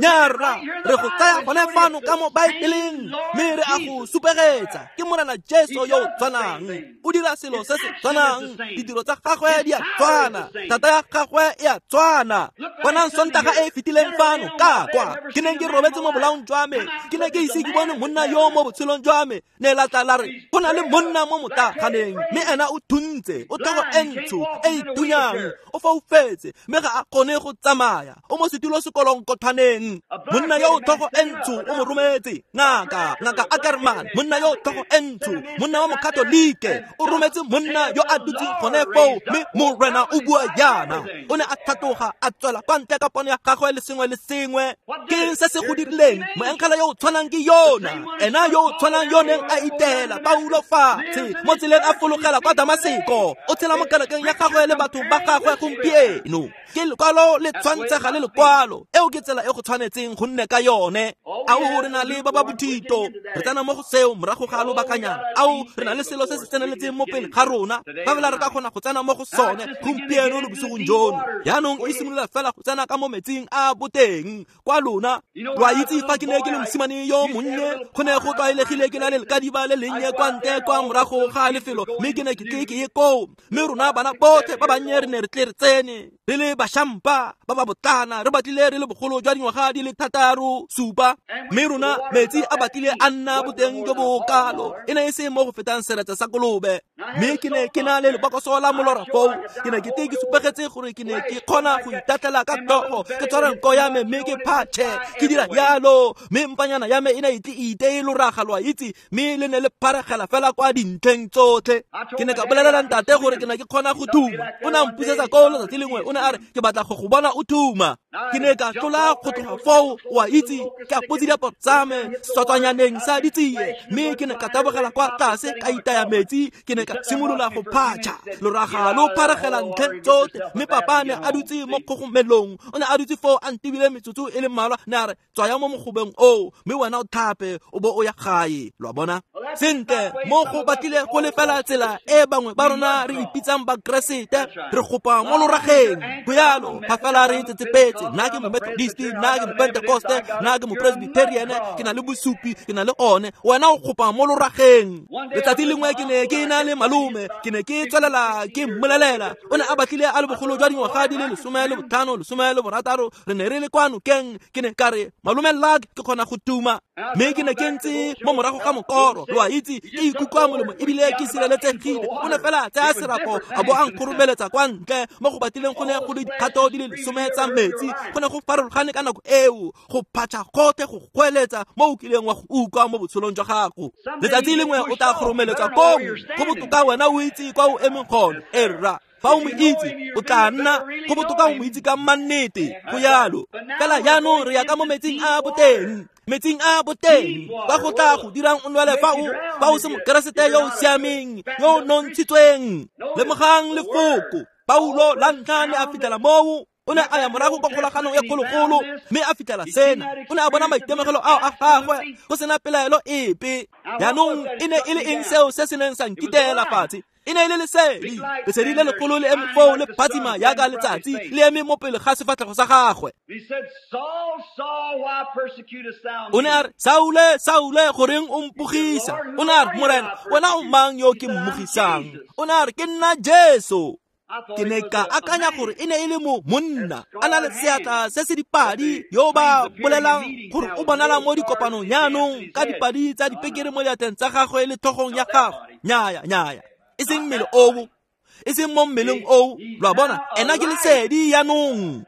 A: nyarra. Re go tsaya gone fano ka mo Baebeleng, mme re a go supegetsa. Ke Morena Jesu yo o tshwanang, o dira selo se se tshwanang, ditiro tsa gagwe di a tshwana, thata ya gagwe e a tshwana. Bonang Sontaga e fetileng fano ka kwa, ke neng ke robetse mo bolaong jwa me, ke ne ke ise ke bone monna yo mo botshelong jwa me. Ne la tla la re go na le monna mo motlaganeng, mme ena o thuntse, o tlhogo e ntsho e itunyang, o foufetse, mme ga a kgone go tsamaya, o mo setulo sekolonkothwaneng. Monna yo o tlhogo e ntsho o mo rometse ngaka Ackerman. Monna yo o tlhogo e ntsho, monna wa mokatolike, o rometse monna yo a dutseng gone foo, mme Morena o bua jaana. O ne a tlhatloga a tswela kwa ntle ka pono ya gagwe le sengwe le sengwe. Ke se se go dirileng? Moengele yo o tshwanang ke yona, ena yo o tshwanang yo neng a itela Paulo fatshe mo tseleng a fologela kwa Damaseko, o tshela mo kerekeng ya gagwe le batho ba gagwe gompieno. Ke lekwalo le tshwantshega le lekwalo, eo ke tsela e go tshwanetseng go nne ka yone. Ao re na le ba ba bothito, re tsena mo go seo morago ga lobakanyana. Ao re na le selo se se tseneletseng mo pele ga rona, fa fela re ka kgona go tsena mo go sone gompieno le bosigong jono. Jaanong e simolola fela go tsena ka mo metsing a boteng kwa lona. Lo a itse fa ke ne ke le mosimane yo monnye, go ne go tlwaelegile ke na le lekadiba le lennye kwa ntle kwa morago ga lefelo, mme ke ne ke tle ke ye koo. Mme rona bana botlhe ba bannye re ne re tle re tsene re le bašampa ba ba botlana, re batlile re le bogolo jwa dingwaga di le 6, 7, mme rona metsi a batlile a nna boteng jo bo kalo, e ne e se mo go fetang seretse sa kolobe. Mme ke ne ke na le lebokoso la molora foo, ke ne ke tle ke supegetse gore ke ne ke kgona go itatlela ka tlhogo, ke tshware nko ya me mme ke phatšhe, ke dira jalo, mme mpanyana ya me e ne e tle e iteye loraga, lo a itse, mme le ne le pharegela fela kwa dintlheng tsotlhe. Ke ne ka bolelela ntate gore ke ne ke kgona go thuma. O ne a mpusetsa koo letsatsi lengwe, o ne a re ke batla go go bona o thuma. Ke ne ka tlola go tloga foo, o a itse, ke apotse diaparo tsa me setswatswanyaneng sa ditsie, mme ke ne ka tabogela kwa tlase ka itaya metsi, ke ne ka simolola go phatšha loraga lo pharegela ntlheng tsotlhe. Mme papa ne a dutse mo kgogomelong, o ne a dutse foo a ntebile metsotso e le mmalwa, ne a re tswaya mo mogobeng oo, mme wena o thape o bo o ya gae. Lo a bona? Sentle, mo go batlile go le fela tsela e bangwe ba rona re ipitsang Bakeresete, re gopa mo lorageng. Go yalo, fa fela re itsetsepetse, nna ke Momethodist, nna ke Mopentekoste, nna ke Mopresbyterian, ke na le bosupi, ke na le one. Wena o gopa mo lorageng. Letsatsi lengwe ke ne ke na le malome, ke ne ke tswelela ke mmolelela, o ne a batlile a le bogolo jwa dingwaga di le 15, 16, re ne re le kwa nokeng. Ke ne ka re, malome Luck, ke kgona go tuma. Mme ke ne ke ntse mo morago ga mokoro, lo a itse, ke ikutlwa molemo ebile ke sireletsegile. O ne fela a tsaya serapo a bo a nkgoromeletsa kwa ntle mo go batlileng go ne go le dikgato di le 10 tsa metsi. Go ne go farologane ka nako eo, go phatšha gotlhe, go goeletsa mo o kileng wa go utlwa mo botshelong jwa gago. Letsatsi lengwe o tla kgoromeletswa koo, go botoka wena o itse kwa o emeng gone. Erra, fa o mo itse, o tla nna go botoka o mo itse ka mannete. Go yalo fela. Jaanong re ya ka mo metsing a boteng, metsing a boteng ba go tla go dirang o nwele fa o se Mokeresete yo o siameng, yo o nontshitsweng. Lemogang lefoko Paulo la ntlha ne a fitlhela moo. O ne a ya morago kwa kgolaganong ya kgologolo, mme a fitlhela sena. O ne a bona maitemogelo ao a gagwe go sena pelaelo epe. Jaanong e ne e le eng seo se se neng sa nkiteela fatshe? E ne e le lesedi, lesedi le legolo le eme foo le phatsima jaaka letsatsi le eme mo pele ga sefatlhego sa gagwe. O ne a re, Saule, Saule, goreng o mpogisa? O ne a re, Morena, wena o mang yo ke mmogisang? O ne a re, ke nna Jesu. Ke ne ka akanya gore e ne e le mo monna a na le seatla se se dipadi, yo ba bolelang gore o bonala mo dikopanong jaanong ka dipadi tsa dipekere mo diatleng tsa gagwe le tlhogong ya gagwe. Nyaya, nyaya, e seng mmele oo, e seng mo mmeleng oo. Lo a bona, ena ke lesedi jaanong.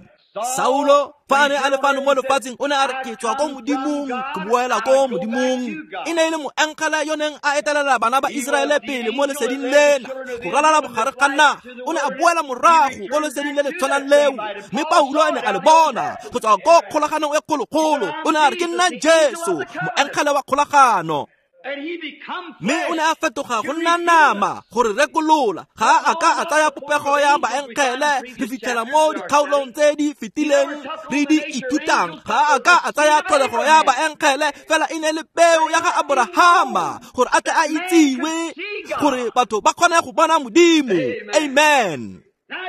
A: Saulo fa a ne a le fano mo lefatsheng, o ne a re ke tswa ko Modimong, ke boela ko Modimong. E ne e le moengele yo neng a etelela bana ba Iseraele pele mo leseding lena go ralala bogare ga naga. O ne a boela morago ko leseding le le tshwanang leo, mme Paulo a ne a le bona go tswa ko kgolaganong e kgologolo. O ne a re ke nna Jesu, moengele wa kgolagano. Mme o ne a fetoga go nna nama gore rekolola. Ga a ka a tsaya popego ya baengele re fitlhela mo dikgaolong tse di fetileng re di ithutang. Ga a ka a tsaya tlholego ya baengele, fela e ne le peo ya ga Aborahama gore a tle a itsiwe, gore batho ba kgone go bona Modimo. Amen.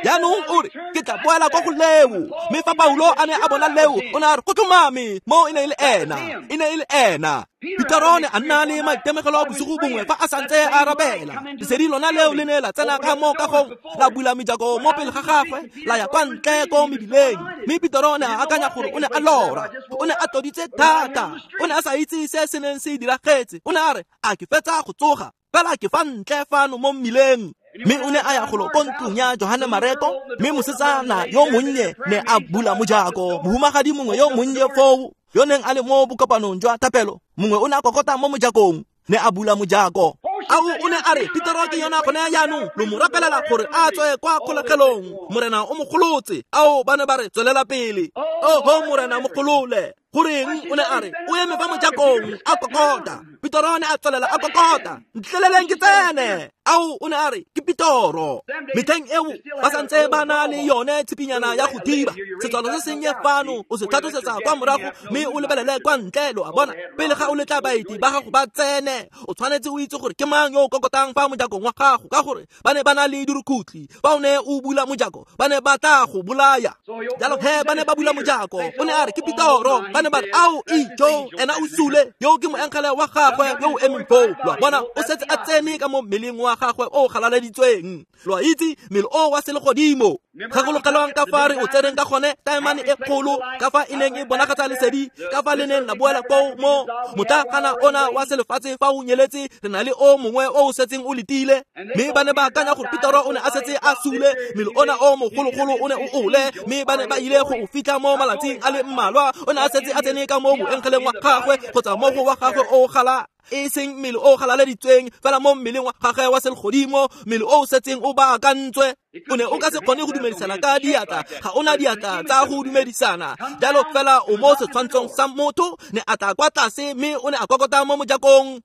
A: Jaanong o re, ke tla boela kwa go leo. Mme fa Paulo a ne a bona leo, o ne a re go tlhomame mo e ne e le ena, e ne e le ena. Petero ne a nna le maitemogelo bosigo bongwe fa a santse a rapela. Lesedi lona leo le ne la tsena ka mo kagong, la bula mejako mo pele ga gagwe, la ya kwa ntle ko mebileng. Mme Petero ne a akanya gore o ne a lora, o ne a tloditse thata, o ne a sa itse se se neng se diragetse. O ne a re, a ke fetsa go tsoga, fela ke fa ntle fano mo mmileng. Mme o ne a ya golo ko ntlong ya Johane Mareko, mme mosetsana yo monnye ne a bula mojako. Mohumagadi mongwe yo monnye foo, yo neng a le mo bokopanong jwa thapelo, mongwe o ne a kokota mo mojakong, ne a bula mojako. Ao o ne a re, Petero ke yona gone jaanong, lo mo rapelela gore a tswe kwa kgolegelong. Morena o mo golotse. Ao ba ne ba re, tswelela pele. Oho Morena mo golole. Goreng? O ne a re, o eme fa mojakong a kokota. Petero ne a tswelela a kokota. Ntleleleng ke tsene. Ao o ne a re, ke Petero. Metlheng eo ba santse ba na le yone tshipinyana ya go thiba. Setswalo se sennye fano o se tlhatlosetsa kwa morago, mme o lebelele kwa ntle, lo a bona. Pele ga o letla baeti ba gago ba tsene, o tshwanetse o itse gore ke mang yo o kokotang fa mojakong wa gago, ka gore ba ne ba na le dirukutlhi. Fa o ne o bula mojako, ba ne ba tla go bolaya. Jalo he ba ne ba bula mojako. O ne a re, ke Petero. Ba ne ba re, ao ijo, ena o sule, yo ke moengele wa gagwe yo o emeng foo. Lo a bona, o setse a tsene ka mo mmeleng wa gagwe o galaleditsweng. Lo a itse, mmele o wa selegodimo. Gakologelwang ka fa re o tseneng ka gone, taemane e kgolo, ka fa e neng e bonagatsa lesedi, ka fa le neng la boela koo mo motlakana ona wa selefatshe fa o nyeletse, re na le o mongwe o o setseng o letile. Mme ba ne ba akanya gore Petero o ne a setse a sule, mmele ona o mogologolo o ne o ole, mme ba ne ba ile go o fitlha mo malatsing a le mmalwa. O ne a setse a tsene ka mo moengeleng wa gagwe, kgotsa mo go wa gagwe o gala, e seng mmele o galaleditsweng, fela mo mmeleng wa gagwe wa selegodimo, mmele o o setseng o baakantswe. O ne o ka se kgone go dumedisana ka diatla, ga ona diatla tsa go dumedisana. Jalo fela o mo setshwantshong sa motho, ne a tla kwa tlase, mme o ne a kokota mo mojakong.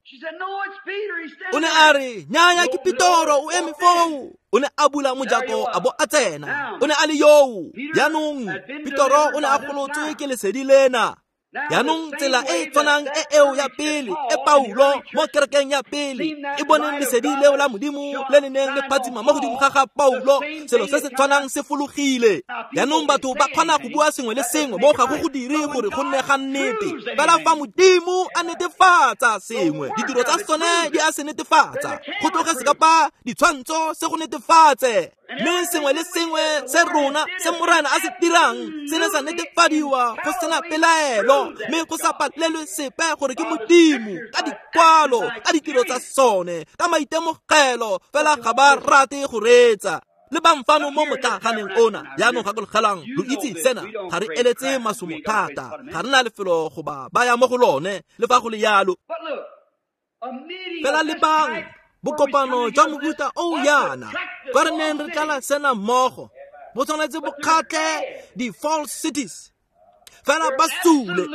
A: O ne a re, nnyaya ke Petero, o eme foo. O ne a bula mojako a bo a tsena. O ne a le yoo. Jaanong Petero o ne a golotswe ke lesedi lena. Jaanong tsela e e tshwanang e eo ya pele, e Paulo mo kerekeng ya pele e boneng lesedi leo la Modimo le le neng le phatsima mo godimo ga ga Paulo, selo se se tshwanang se fologile. Jaanong batho ba kgona go bua sengwe le sengwe mo ga go go dire gore go nne ga nnete. Fela fa Modimo a netefatsa sengwe, ditiro tsa sone di a se netefatsa. Go tloge se kapa ditshwantsho se go netefatse. Mme sengwe le sengwe se rona se Morena a se dirang se ne sa netefadiwa go sena pelaelo, mme go sa palelwe sepe gore ke Modimo ka dikwalo, ka ditiro tsa sone, ka maitemogelo. Fela ga ba rate go reetsa. Le bang fano mo motlaganeng ona. Jaanong gakologelang, lo itse sena, ga re eletse masomo thata, ga re na lefelo go ba baya mo go lone, le fa go le yalo. Fela le bang bokopano jwa mofuta o yana, kwa re neng re tlala sena mmogo, bo tshwanetse bo kgatlhe di-false cities. Fela ba sule,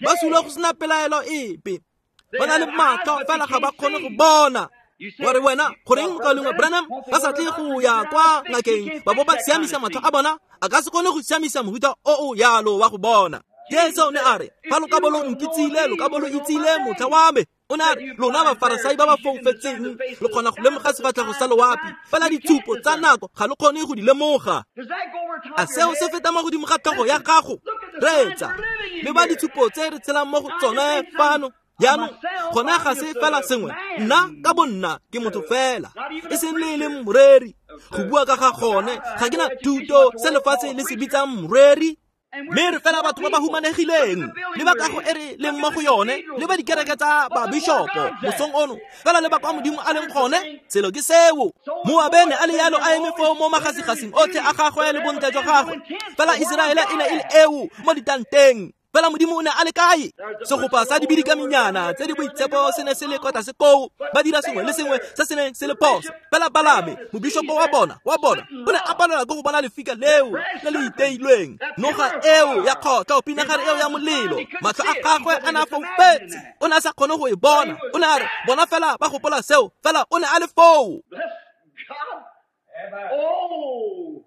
A: ba sule go sena pelaelo epe. Ba na le matlho, fela ga ba kgone go bona. Wa re wena, goreng mokaulengwe Branham ba sa tle go ya kwa ngakeng ba bo ba siamisa matlho a bona? A ka se kgone go siamisa mofuta o o yalo wa go bona. Jesu o ne a re, fa lo ka bo lo nkitsile, lo ka bo lo itsile motlha wa me. O ne a re, lona bafarasai ba ba foufetseng, lo kgona go lemoga sefatlhego sa loapi, fela ditshupo tsa nako ga lo kgone go di lemoga. A seo se feta mo godimo ga tlhogo ya gago? Reetsa, le ba ditshupo tse re tshelang mo go tsone fano. Jaanong gone ga se fela sengwe, nna ka bonna ke motho fela, e seng le e leng moreri. Go bua ka ga gone, ga ke na thuto se lefatshe le se bitsang moreri. Mme re fela batho ba ba humanegileng, le ba kago e re leng mo go yone, le ba dikereke tsa babishopo mosong ono, fela le ba kwa Modimo a leng gone. Selo ke seo. Moabe ne a le yalo a eme foo mo magasigasing otlhe a gagwe le bontle jwa gagwe, fela Iseraele e ne e le eo mo ditanteng. Fela Modimo o ne a le kae? Segopa sa dibidikaminyana tse di boitshepo se ne se le kwa tlase koo, ba dira sengwe le sengwe se se neng se le phoso. Fela Balame, mobishopo wa bona, o ne a palelwa ke go bona lefika leo le le iteilweng, noga eo ya kgotlho, pinagare eo ya molelo. Matlho a gagwe a ne a foufetse, o ne a sa kgone go e bona. O ne a re bona fela ba gopola seo, fela o ne a le foo.
B: Oh,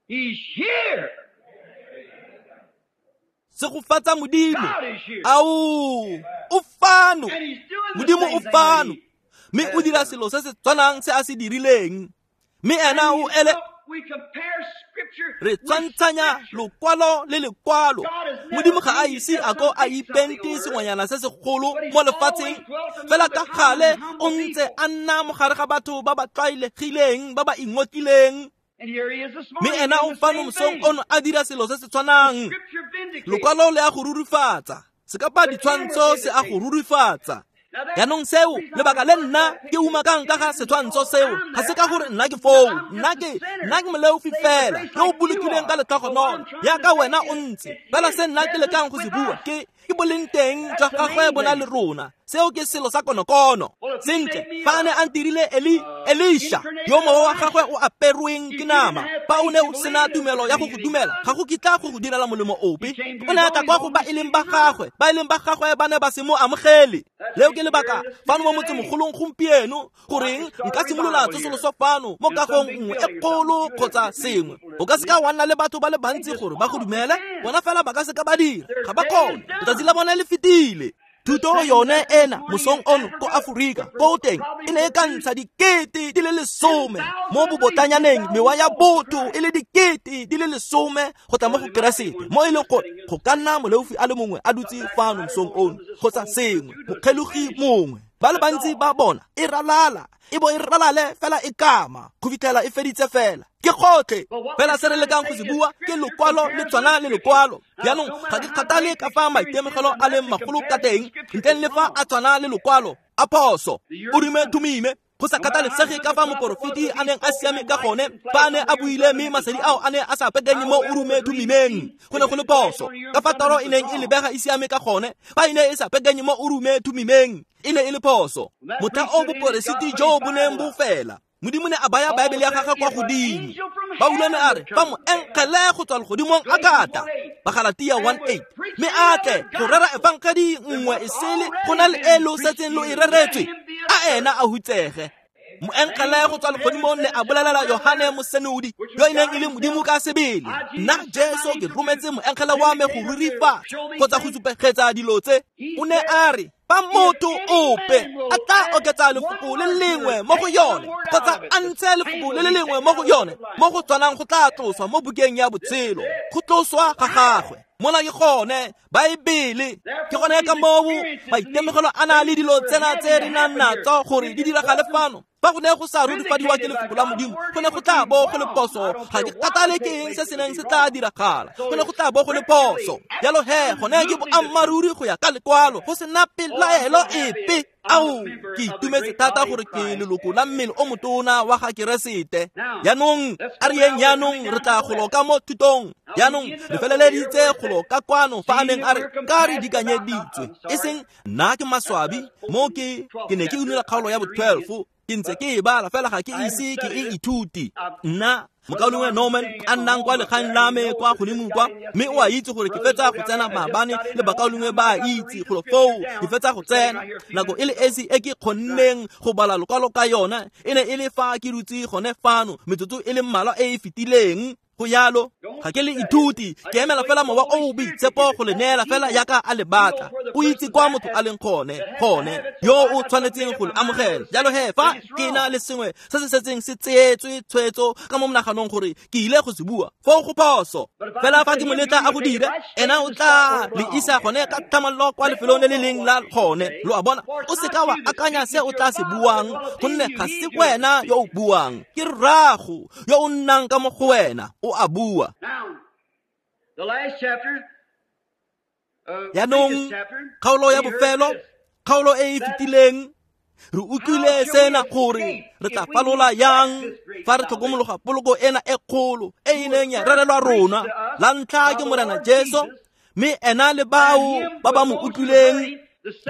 B: he's here.
A: Segofatsa Modimo. Ao, o fano. Modimo o fano. Mme o dira selo se se tshwanang se a se dirileng. Mme ena o ele. Re tshwantshanya lokwalo le lekwalo. Modimo ga a ise a ko a ipente sengwanyana se segolo mo lefatsheng, fela ka gale o ntse a nna mo gare ga batho ba ba tlwaelegileng, ba ba ingotlileng. Mme ena o fano mosong ono a dira selo se se tshwanang. Lokwalo le a go rurifatsa, sekapa ditshwantsho se a go rurifatsa. Jaanong seo, lebaka le nna ke umakang ka ga setshwantsho seo, ga se ka gore nna ke foo, nna ke moleofi fela yo o bolokilweng ka letlhogonolo yaka wena o ntse. Fela se nna ke lekang go se bua ke boleng teng jwa gagwe bona le rona. Seo ke selo sa konokono. Sentle, fa a ne a ntirile Elisha, yo mowa wa gagwe o aperweng ke nama, fa o ne o sena tumelo ya go go dumela, ga go kitla go go direla molemo ope. O ne a tla kwa go ba e leng ba gagwe, ba e leng ba gagwe ba ne ba se mo amogele. Leo ke lebaka fano mo motsemogolong gompieno, goreng nka simolola tsosoloso fano mo kagong nngwe e kgolo kgotsa sengwe. O ka seka wa nna le batho ba le bantsi gore ba go dumele, bona fela ba ka seka ba dira, ga ba kgone. Letsatsi la bone le fetile. Thuto yone ena mosong ono ko Aforika ko teng e ne e ka ntsha 10,000 mo bobotanyaneng, mewa ya botho e le 10,000 go tla mo go Keresete, mo e leng gore go ka nna moleofi a le mongwe a dutse fano mosong ono kgotsa sengwe, mokgelogi mongwe. Ba le bantsi ba bona e ralala, e bo e ralale fela e kama go fitlhela e feditse fela. Ke gotlhe fela se re lekang go se bua ke lokwalo le tshwana le lokwalo. Jaanong ga ke kgathale ka fa maitemogelo a leng magolo ka teng, ntleng le fa a tshwana le lokwalo a phoso. O rime thumime, go sa kgathalesege ka fa moporofeti a neng a siame ka gone, fa a ne a buile mme masedi ao a ne a sa pekenye mo o rume thumimeng, go ne go le phoso. Ka fa toro e neng e lebega e siame ka gone, fa e ne e sa pekenye mo o rume thumimeng, e ne e le phoso. Motlha o boporesiti jo bo neng bo fela, Modimo ne a baya Baebele ya gagwe kwa godimo. Paulo ne a re fa moengele go tswa legodimong a ka tla, Bagalatia 1:8, mme a tle go rera efangedi nngwe e sele go na le e lo setseng lo e reretswe, a ena a hutsege. Moengele go tswa legodimong ne a bolelela Yohane Mosenodi, yo e neng e le Modimo ka sebele, nna Jesu ke rometse moengele wa me go rurifatsa kgotsa go supegetsa dilo tse. O ne a re fa motho ope a tla oketsa lefoko le lengwe mo go yone kgotsa a ntshe lefoko le le lengwe mo go yone, mo go tshwanang go tla tloswa mo bukeng ya botshelo, go tloswa ga gagwe. Mona ke gone Baebele, ke gone ka moo maitemogelo a na le dilo tsena tse re nang natso gore di diragale fano. Fa go ne go sa rurifadiwa ke lefoko la Modimo, go ne go tla bo go le phoso. Ga ke kgathale ke eng se se neng se tla diragala, go ne go tla bo go le phoso. Jalo he, gone ke boammaaruri go ya ka lekwalo, go sena pelaelo epe. Ao, ke itumetse thata gore ke leloko la mmele o motona wa ga Keresete. Jaanong a re yeng, jaanong re tla golo ka mo thutong. Jaanong re feleleditse golo ka kwano fa a neng a re ka re dikanyeditswe, e seng nna ke maswabi mo ke ne ke unela kgaolo ya bo 12, ke ntse ke e bala fela ga ke ise ke e ithuti. Nna mokaulengwe Norman a nnang kwa legaeng la me kwa godimo kwa, mme o a itse gore ke fetsa go tsena maabane le bakaulengwe ba a itse golo foo ke fetsa go tsena. Nako e le esi e ke kgonneng go bala lokwalo ka yona e ne e le fa ke dutse gone fano metsotso e le mmalwa e e fetileng. Go yalo, ga ke le ithuti, ke emela fela mowa o o boitshepo go le neela fela yaka a le batla. O itse kwa motho a leng gone yo o tshwanetseng go le amogela. Jalo he, fa ke na le sengwe se se setseng se tseetswe tshwetso ka mo monaganong gore ke ile go se bua, foo go phoso. Fela fa ke mo letla a go dire, ena o tla le isa gone ka tlhamallo kwa lefelong le le leng la gone. Lo a bona, o seka wa akanya se o tla se buang, gonne ga se wena yo o buang, ke rrago yo o nnang ka mo go wena o a bua. Jaanong kgaolo ya bofelo, kgaolo e e fetileng, re utlwile sena gore re tla falola yang fa re tlhokomologa poloko ena e kgolo e e neng ya rerelwa rona la ntlha ke Morena Jesu, Mme ena le bao ba ba mo utlwileng,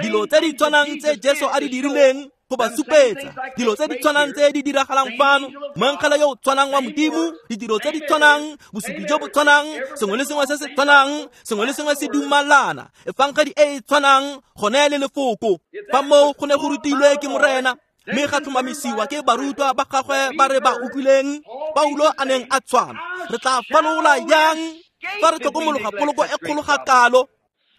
A: dilo tse di tshwanang tse Jesu a di dirileng go ba supetsa, dilo tse di tshwanang tse di diragalang fano, moengele yo o tshwanang wa Modimo, ditiro tse di tshwanang, bosupi jo bo tshwanang, sengwe le sengwe se se tshwanang, sengwe le sengwe se dumalana, efangedi e e tshwanang gone le lefoko. Fa moo go ne go rutilwe ke Morena, mme ga tlhomamisiwa ke barutwa ba gagwe ba re ba utlwileng, Paulo a neng a tshwana. Re tla falola yang fa re tlhokomologa poloko e kgolo ga kalo?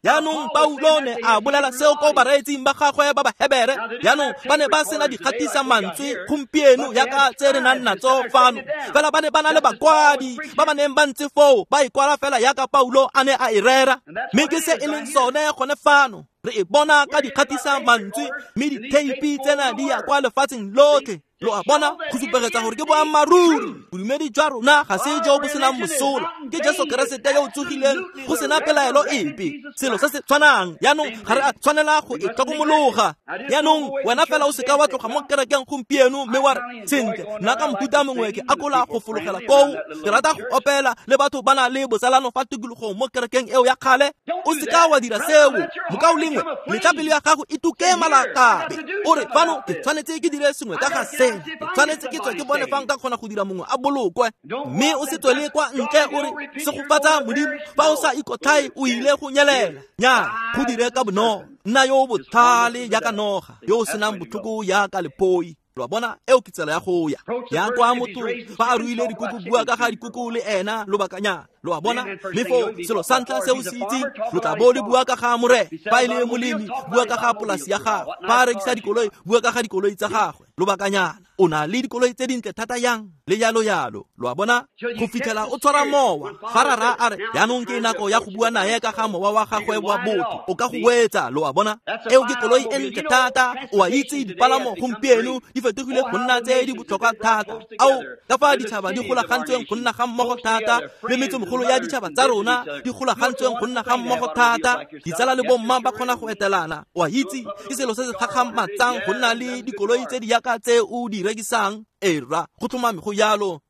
A: Jaanong Paulo ne a bolela seo ko bareetsing ba gagwe ba Bahebere. Jaanong ba ne ba sena dikgatisa mantswe gompieno yaka tse re nang natso fano, fela ba ne ba na le bakwadi ba ba neng ba ntse foo ba e kwala fela yaka Paulo a ne a e rera. Mme ke se e leng sone gone fano, re e bona ka dikgatisa mantswe, mme ditheipi tsena di ya kwa lefatsheng lotlhe. Lo a bona, go supegetsa gore ke boammaaruri. Bodumedi jwa rona ga se jo bo senang mosola, ke Jesu Keresete yo o tsogileng go sena pelaelo epe. Selo se se tshwanang. Jaanong ga re a tshwanela go e tlhokomologa. Jaanong wena fela o seka wa tloga mo kerekeng gompieno mme wa re, sentle, nna ka mohuta mongwe ke akola go fologela koo, ke rata go opela le batho ba na le botsalano fa tikologong mo kerekeng eo ya kgale. O seka wa dira seo, mokaulengwe. Letla pelo ya gago e tuke malakabe. O re, fano ke tshwanetse ke dire sengwe ka ga se, ke tshwanetse ke tswe ke bone fa nka kgona go dira mongwe a bolokwe. Mme o se tswele kwa ntle o re, segofatsa Modimo, fa o sa ikotlhae o ile go nyelela. Nnyaa, go dire ka bonolo. Nna yo o botlhale jaaka noga, yo o senang botlhoko jaaka lephoi. Lo a bona, eo ke tsela ya go ya. Ya kwa motho fa a ruile dikoko, bua ka ga dikoko le ena lobakanyana. Lo a bona, mme foo selo sa ntlha se o se itseng, lo tla bo le bua ka ga Morena. Fa e le molemi, bua ka ga polasi ya gagwe. Fa a rekisa dikoloi, bua ka ga dikoloi tsa gagwe. Lobakanyana, o na le dikoloi tse dintle thata yang, le jalo jalo. Lo a bona, go fitlhela o tshwara mowa. Fa rara a re, jaanong ke nako ya go bua nae ka ga mowa wa gagwe wa botho, o ka go wetsa. Lo a bona, eo ke koloi e ntle thata. O a itse dipalamo gompieno di fetogile go nna tse di botlhokwa thata. Ao, ka fa ditšhaba di golagantsweng go nna ga mmogo thata, le metsomogolo ya ditšhaba tsa rona di golagantsweng go nna ga mmogo thata. Ditsala le bomma ba kgona go etelana. O a itse, ke selo se se gakgamatsang go nna le dikoloi tse di yaka tse o di rekisang. Era, go tlhomame go jalo.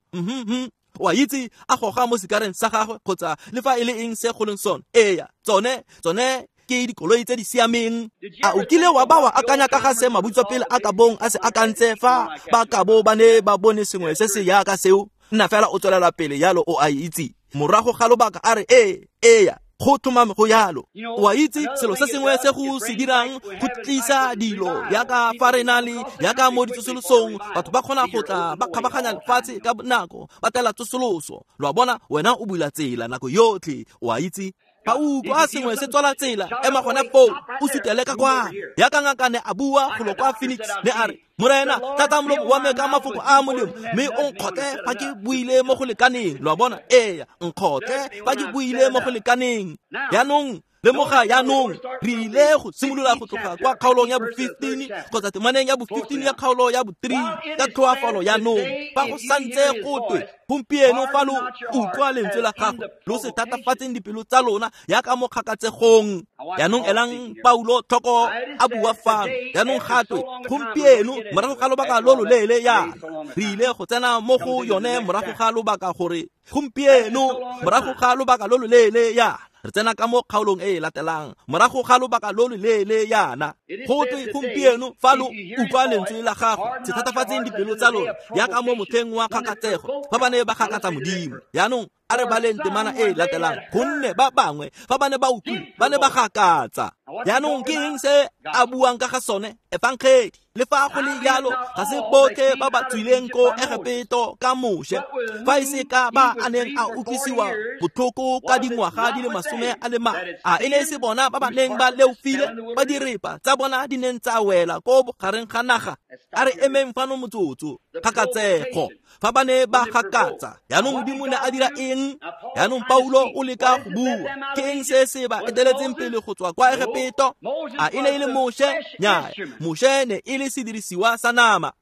A: O a itse, a goga mo sekareng sa gagwe kgotsa le fa e le eng se go leng sone. Eya, tsone ke dikoloi tse di siameng. A o kile wa ba wa akanya ka ga se mabutswapele a ka bong a se akantse fa ba ka bo ba ne ba bone sengwe se se yaka seo? Nna fela o tswelela pele jalo, o a itse. Morago ga lobaka a re, ee, eya, go tlhomame go jalo. O a itse, selo se sengwe se go se dirang go tlisa dilo yaka fa re na le yaka mo ditsosolosong, batho ba kgona go tla ba kgabaganya lefatshe ka bonako, ba tela tsosoloso. Lo a bona, wena o bula tsela nako yotlhe. O a itse, fa o utlwa sengwe se tswala tsela, ema gone foo, o sutele ka kwa. Yaka ngaka ne a bua golo kwa Phoenix, ne a re, Morena, tlatsa molomo wa me ka mafoko a molemo, mme o nkgotle fa ke buile mo go lekaneng. Lo a bona, eya, nkgotle fa ke buile mo go lekaneng. Jaanong lemoga, jaanong re ile go simolola go tloga kwa kgaolong ya bo-15 kgotsa temaneng ya bo-15 ya kgaolo ya bo-3 ka tlhoafalo. Jaanong fa go santse go twe gompieno, fa lo utlwa lentswe la gagwe, lo se thatafatseng dipelo tsa lona yaka mo kgakatsegong. Jaanong elang Paulo tlhoko a bua fano. Jaanong gatwe gompieno morago ga lobaka lo loleele yana, re ile go tsena mo go yone morago ga lobaka gore gompieno morago ga lobaka lo loleele yana, re tsena ka mo kgaolong e e latelang morago ga lobaka lo loleele yana. Go twe gompieno fa lo utlwa lentswe la gagwe, se thatafatseng dipelo tsa lona yaka mo motlheng wa kgakatsego fa ba ne ba gakatsa Modimo. Jaanong a re baleng temana e e latelang, gonne ba bangwe fa ba ne ba utlwile ba ne ba gakatsa. Jaanong ke eng se a buang ka ga sone? Efangedi. Le fa go le jalo, ga se botlhe ba ba tswileng ko Egepeto ka Moshe, fa e se ka ba a neng a utlwisiwa botlhoko ka dingwaga di le 40. A e ne e se bona ba ba neng ba leofile, ba direpa tsa bona di neng tsa wela ko bogareng ga naga? A re emeng fano motsotso. Kgakatsego, fa ba ne ba gakatsa, jaanong Modimo ne a dira eng? Jaanong Paulo o leka go bua, ke eng se se ba eteletseng pele go tswa kwa Egepeto? A e ne e le Moshe? Nnyaa, Moshe ne e le sedirisiwa sa nama.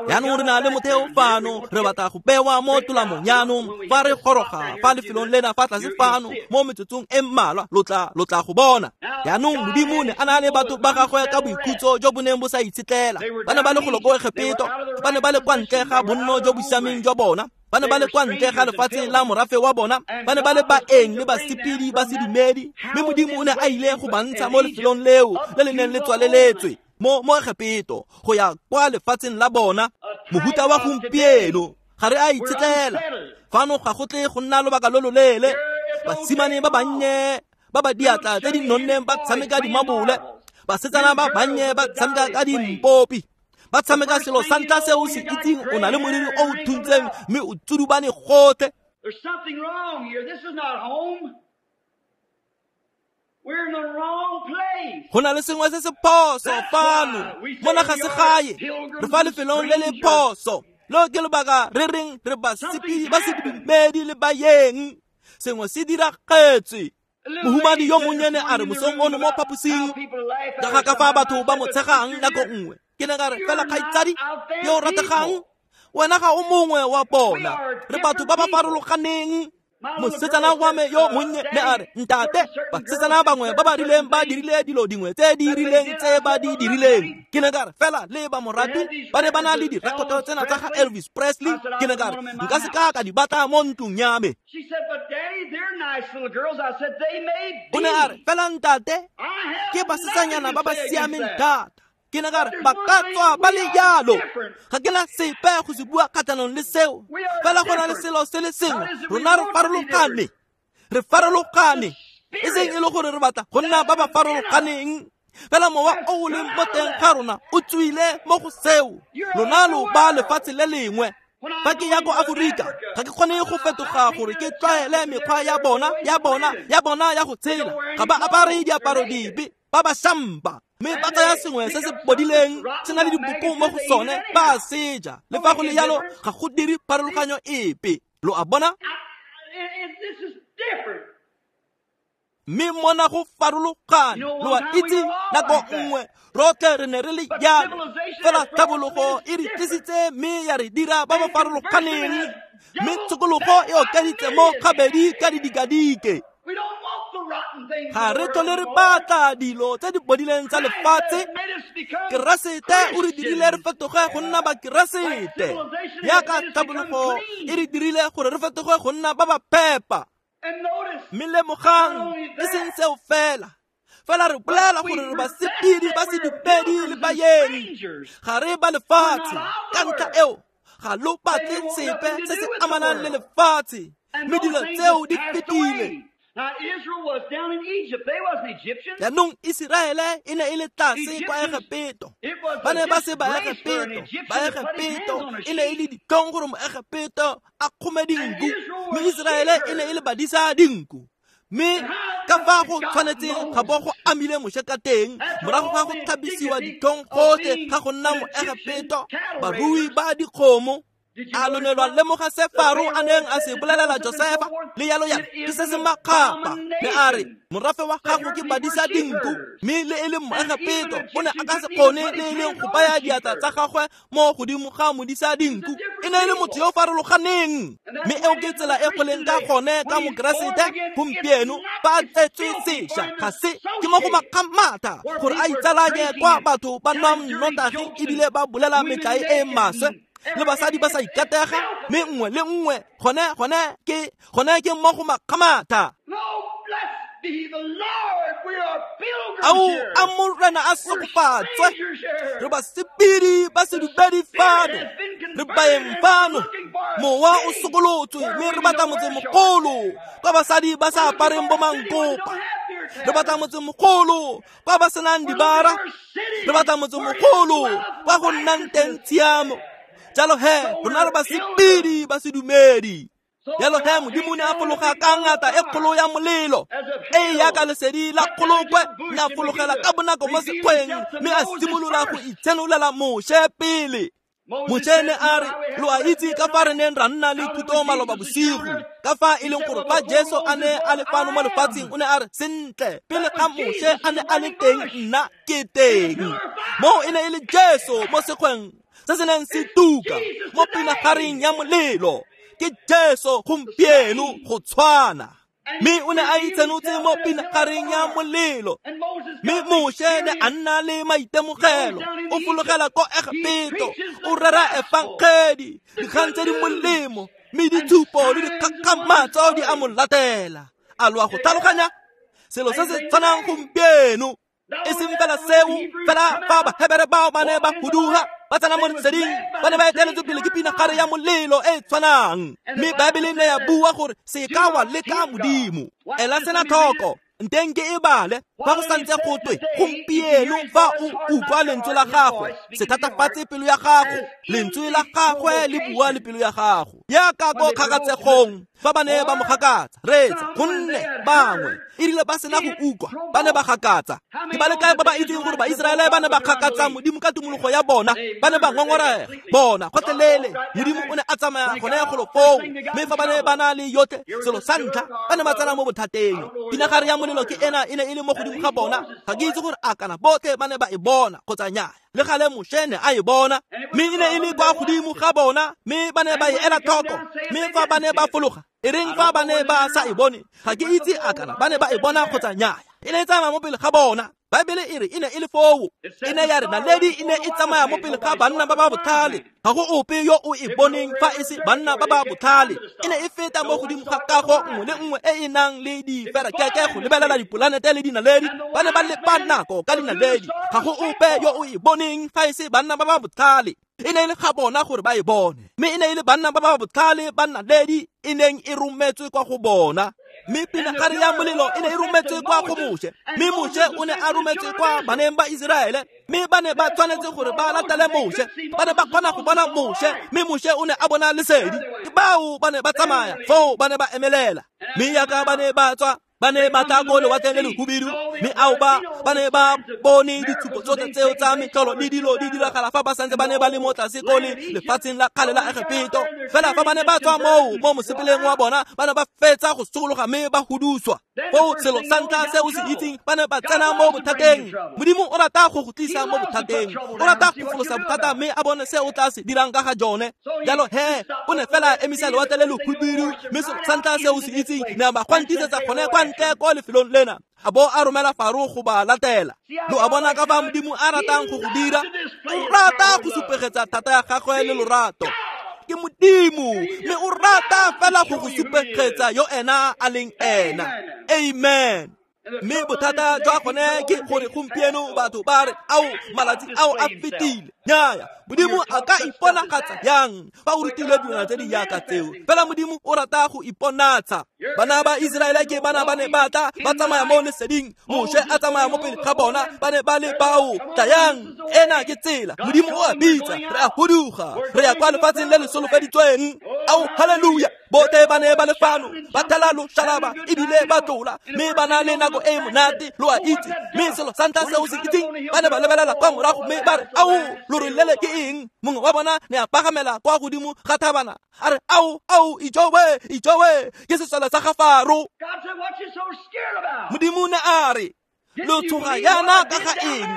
A: Jaanong re na le motheo fano, re batla go bewa mo tolamong. Jaanong fa re goroga fa lefelong lena fa tlase fano mo metsotsong e mmalwa, lo tla go bona. Jaanong Modimo ne a na le batho ba gagwe ka boikhutso jo bo neng bo sa itshetlela. Ba ne ba le golo ko Egepeto, ba ne ba le kwa ntle ga bonno jo bo siameng jwa bona. Ba ne ba le kwa ntle ga lefatshe la morafe wa bona, ba ne ba le baeng le basepedi ba sedumedi, mme Modimo o ne a ile go ba ntsha mo lefelong leo le le neng le tswaleletswe mo Egepeto go ya kwa lefatsheng la bona. Mohuta wa gompieno ga re a itshetlela fano, ga go tle go nna lobaka lo loleele. Basimane ba bannye ba ba diatla tse di nonneng ba tshameka dimabole, basetsana ba bannye ba tshameka ka dimpopi, ba tshameka selo sa ntlha se o se itseng, o na le moriri o o thuntseng mme o tsudubane gotlhe. Go na le sengwe se se phoso fano, mona ga se gae, re fa lefelong le le phoso. Lo ke lobaka re reng re basepedi ba sedumedi le baeng. Sengwe se diragetse. Mohumadi yo monnyane a re mosong ono mo phaposing ka ga ka fa batho ba mo tshegang nako nngwe. Ke ne ka re, fela kgaitsadi yo o rategang, wena ga o mongwe wa bona, re batho ba ba farologaneng. Mosetsana wa me yo monnye ne a re, ntate, basetsana bangwe ba ba rileng ba dirile dilo dingwe tse di rileng tse ba di dirileng. Ke ne ka re, fela le ba morati ba ne ba na le direkoto tsena tsa ga Elvis Presley. Ke ne ka re, nka se ka ka di batla mo ntlong ya me. O ne a re, fela ntate, ke basetsanyana ba ba siameng thata. Ke ne ka re, ba ka tswa ba le jalo, ga ke na sepe go se bua kgatlhanong le seo, fela go na le selo se le sengwe, rona re farologane. Re farologane, e seng e le gore re batla go nna ba ba farologaneng, fela mowa o o leng mo teng ga rona o tswile mo go seo. Lona lo ba lefatshe le lengwe. Fa ke ya ko Aforika, ga ke kgone go fetoga gore ke tlwaele mekgwa ya bona ya bona ya bona ya go tshela. Ga ba apare diaparo dipe, ba ba shampa, mme ba tsaya sengwe se se bodileng se na le diboko mo go sone, ba a seja. Le fa go le jalo, ga go dire pharologanyo epe. Lo a bona? Mme mona go farologane. Lo a itse, nako nngwe rotlhe re ne re le jalo, fela tlhabologo e re tlisitse mme ya re dira ba ba farologaneng, mme tshokologo e okeditse mo gabedi ka didikadike. Ga re tlhole re batla dilo tse di bodileng tsa lefatshe. Keresete o re dirile re fetoge go nna bakeresete, yaka tlhabologo e re dirile gore re fetoge go nna ba ba phepa. Mme lemogang, e seng seo fela, fela re bolela gore re basepedi ba sedumedi le baeng, ga re ba lefatshe. Ka ntlha eo ga lo batle sepe se se amanang le lefatshe, mme dilo tseo di fetile. Jaanong Iseraele e ne e le tlase kwa Egepeto. Ba ne ba se Baegepeto. Baegepeto e ne e le ditlhong gore Moegepeto a kgome dinku, mme Iseraele e ne e le badisa dinku. Mme ka fa go tshwanetseng ga bo go amile Moshe ka teng, morago ga go tlhabisiwa ditlhong gotlhe ga go nna Moegepeto, barui ba dikgomo. A lo ne lwa lemoga se Faro a neng a se bolelela Josefa le yalo yalo, ke se se makgapa. Ne a re, morafe wa gago ke badisa dinku, mme le e le Moegepeto o ne a ka se kgone le e leng go baya diatla tsa gagwe mo godimo ga modisa dinku. E ne e le motho yo o farologaneng. Mme eo ke tsela e go leng ka gone ka Mokeresete gompieno, ba tsetswe sešwa. Ga se ke mo go makgamatha gore a itsalanye kwa batho ba nwang nnotagi ebile ba bolela metlae e e maswe, le basadi ba sa ikatega, mme nngwe le nngwe gone ke mo go makgamatha. Ao a Morena a segofatswe, re basepedi ba sedumedi fano, re baeng fano. Mowa o sokolotswe, mme re batla motsemogolo kwa basadi ba sa apareng bo mankopa. Re batla motsemogolo kwa ba senang dibara. Re batla motsemogolo kwa go nnang teng tshiamo. Jalo he, rona re basepedi ba sedumedi. Jalo he, Modimo ne a fologa ka ngata e kgolo ya molelo e yaka lesedi la kgolokwe, ne a fologela ka bonako mo sekgweng, mme a simolola go itshenolela Moshe pele. Moshe ne a re, lo a itse ka fa re neng ra nna le thuto maloba bosigo, ka fa e leng gore fa Jesu a ne a le fano mo lefatsheng, o ne a re, sentle, pele ga Moshe a ne a le teng, nna ke teng. Moo e ne e le Jesu mo sekgweng se se neng se tuka mo pinagareng ya molelo. Ke Jesu gompieno go tshwana. Mme o ne a itsenotse mo pinagareng ya molelo. Mme Moshe ne a nna le maitemogelo, o fologela ko Egepeto, o rera efangedi, dikgang tse di molemo, mme ditshupo le dikgakgamatso di a mo latela. A lo a go tlhaloganya? Selo se se tshwanang gompieno. E seng fela seo, fela fa Bahebere bao ba ne ba huduga, ba tsena mo leseding, ba ne ba eteletswe pele ke pinagare ya molelo e e tshwanang. Mme Baebele ne ya bua gore se ka wa leka Modimo. Ela sena tlhoko, nteng ke e bale, fa go santse go twe gompieno fa o utlwa lentswe la gagwe, se thatafatse pelo ya gago. Lentswe la gagwe le bua le pelo ya gago. Yaka ko kgakatsegong fa ba ne ba mo gakatsa, reetsa, gonne bangwe e rile ba sena go utlwa, ba ne ba gakatsa. Ke ba le kae ba ba itseng gore Baiseraele ba ne ba gakatsa Modimo ka tumologo ya bona? Ba ne ba ngongorega bona gotlhelele. Modimo o ne a tsamaya gone golo foo, mme fa ba ne ba na le yotlhe, selo sa ntlha, ba ne ba tsena mo bothateng. Pinagare ya molelo ke ena e ne e le mo godimo ga bona. Ga ke itse gore a kana botlhe ba ne ba e bona kgotsa nnyaa. Le gale Moshe ne a e bona, mme e ne e le kwa godimo ga bona, mme ba ne ba e ela tlhoko. Mme fa ba ne ba fologa, e reng fa ba ne ba sa e bone? Ga ke itse a kana ba ne ba e bona kgotsa nnyaa. E ne e tsamaya mo pele ga bona. Baebele e re e ne e le foo. E ne ya re naledi e ne e tsamaya mo pele ga banna ba ba botlhale. Ga go ope yo o e boneng fa e se banna ba ba botlhale. E ne e feta mo godimo ga kago nngwe le nngwe e e nang le diferekeke go lebelela dipolanete le dinaledi. Ba ne ba lepa nako ka dinaledi. Ga go ope yo o e boneng fa e se banna ba ba botlhale. E ne e le ga bona gore ba e bone. Mme e ne e le banna ba ba botlhale ba naledi e neng e rometswe kwa go bona. Mme pinagare ya molelo e ne e rometswe kwa go Moshe. Mme Moshe o ne a rometswe kwa baneng ba Iseraele. Mme ba ne ba tshwanetse gore ba latele Moshe. Ba ne ba kgona go bona Moshe, mme Moshe o ne a bona lesedi. Ke bao ba ne ba tsamaya, foo ba ne ba emelela. Mme yaka ba ne ba tswa, ba ne ba tla ko lewatleng le lehubidu, mme ao ba ne ba bone ditshupo tsotlhe tseo tsa metlholo le dilo di diragala fa ba santse ba ne ba le mo tlase ko le lefatsheng la kgale la Egepeto. Fela fa ba ne ba tswa moo mo mosepeleng wa bona, ba ne ba fetsa go sokologa mme ba huduswa. Foo selo sa ntlha se o se itseng, ba ne ba tsena mo bothateng. Modimo o rata go go tlisa mo bothateng. O rata go folosa bothata mme a bone se o tla se dirang ka ga jone. Jalo he, o ne fela emisa lewatle le lehubidu, mme selo sa ntlha se o se itseng, ne a ba gwantisetsa gone kwa ntle ko lefelong lena. A bo a romela Faro go ba latela. Lo a bona ka fa Modimo a ratang go go dira? O rata go supegetsa thata ya gagwe le lorato. Ke Modimo, mme o rata fela go go supegetsa yo ena a leng ena. Amen. Mme bothata jwa gone ke gore gompieno batho ba re, ao malatsi ao a fetile. Nnyaya, Modimo a ka iponagatsa yang fa o rutilwe dilwana tse di yaka tseo? Fela Modimo o rata go iponatsa. Bana ba Iseraele ke bana ba ne ba tla ba tsamaya mo leseding. Moshe a tsamaya mo pele ga bona, ba ne ba le bao. Tlayang, ena ke tsela. Modimo o a bitsa, re a huduga, re ya kwa lefatsheng le le solofeditsweng. Ao, haleluya! Botlhe ba ne ba le fano, ba thela loshalaba ebile ba tlola, mme ba na le nako e monate, lo a itse. Mme selo sa ntlha se o se itseng, ba ne ba lebelela kwa morago mme ba re, ao, lorole le ke eng? Mongwe wa bona ne a pagamela kwa godimo ga thabana, a re, ao, ao, ijowe, ijowe, ke sesole sa ga Faro. Modimo ne a re, lo tshoga yana ka ga eng?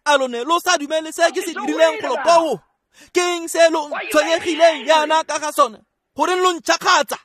A: A lo ne lo sa dumele se ke se dirileng golo koo? Ke eng se lo tshwenyegileng yana ka ga sone? Goreng lo ntšhakgatsa?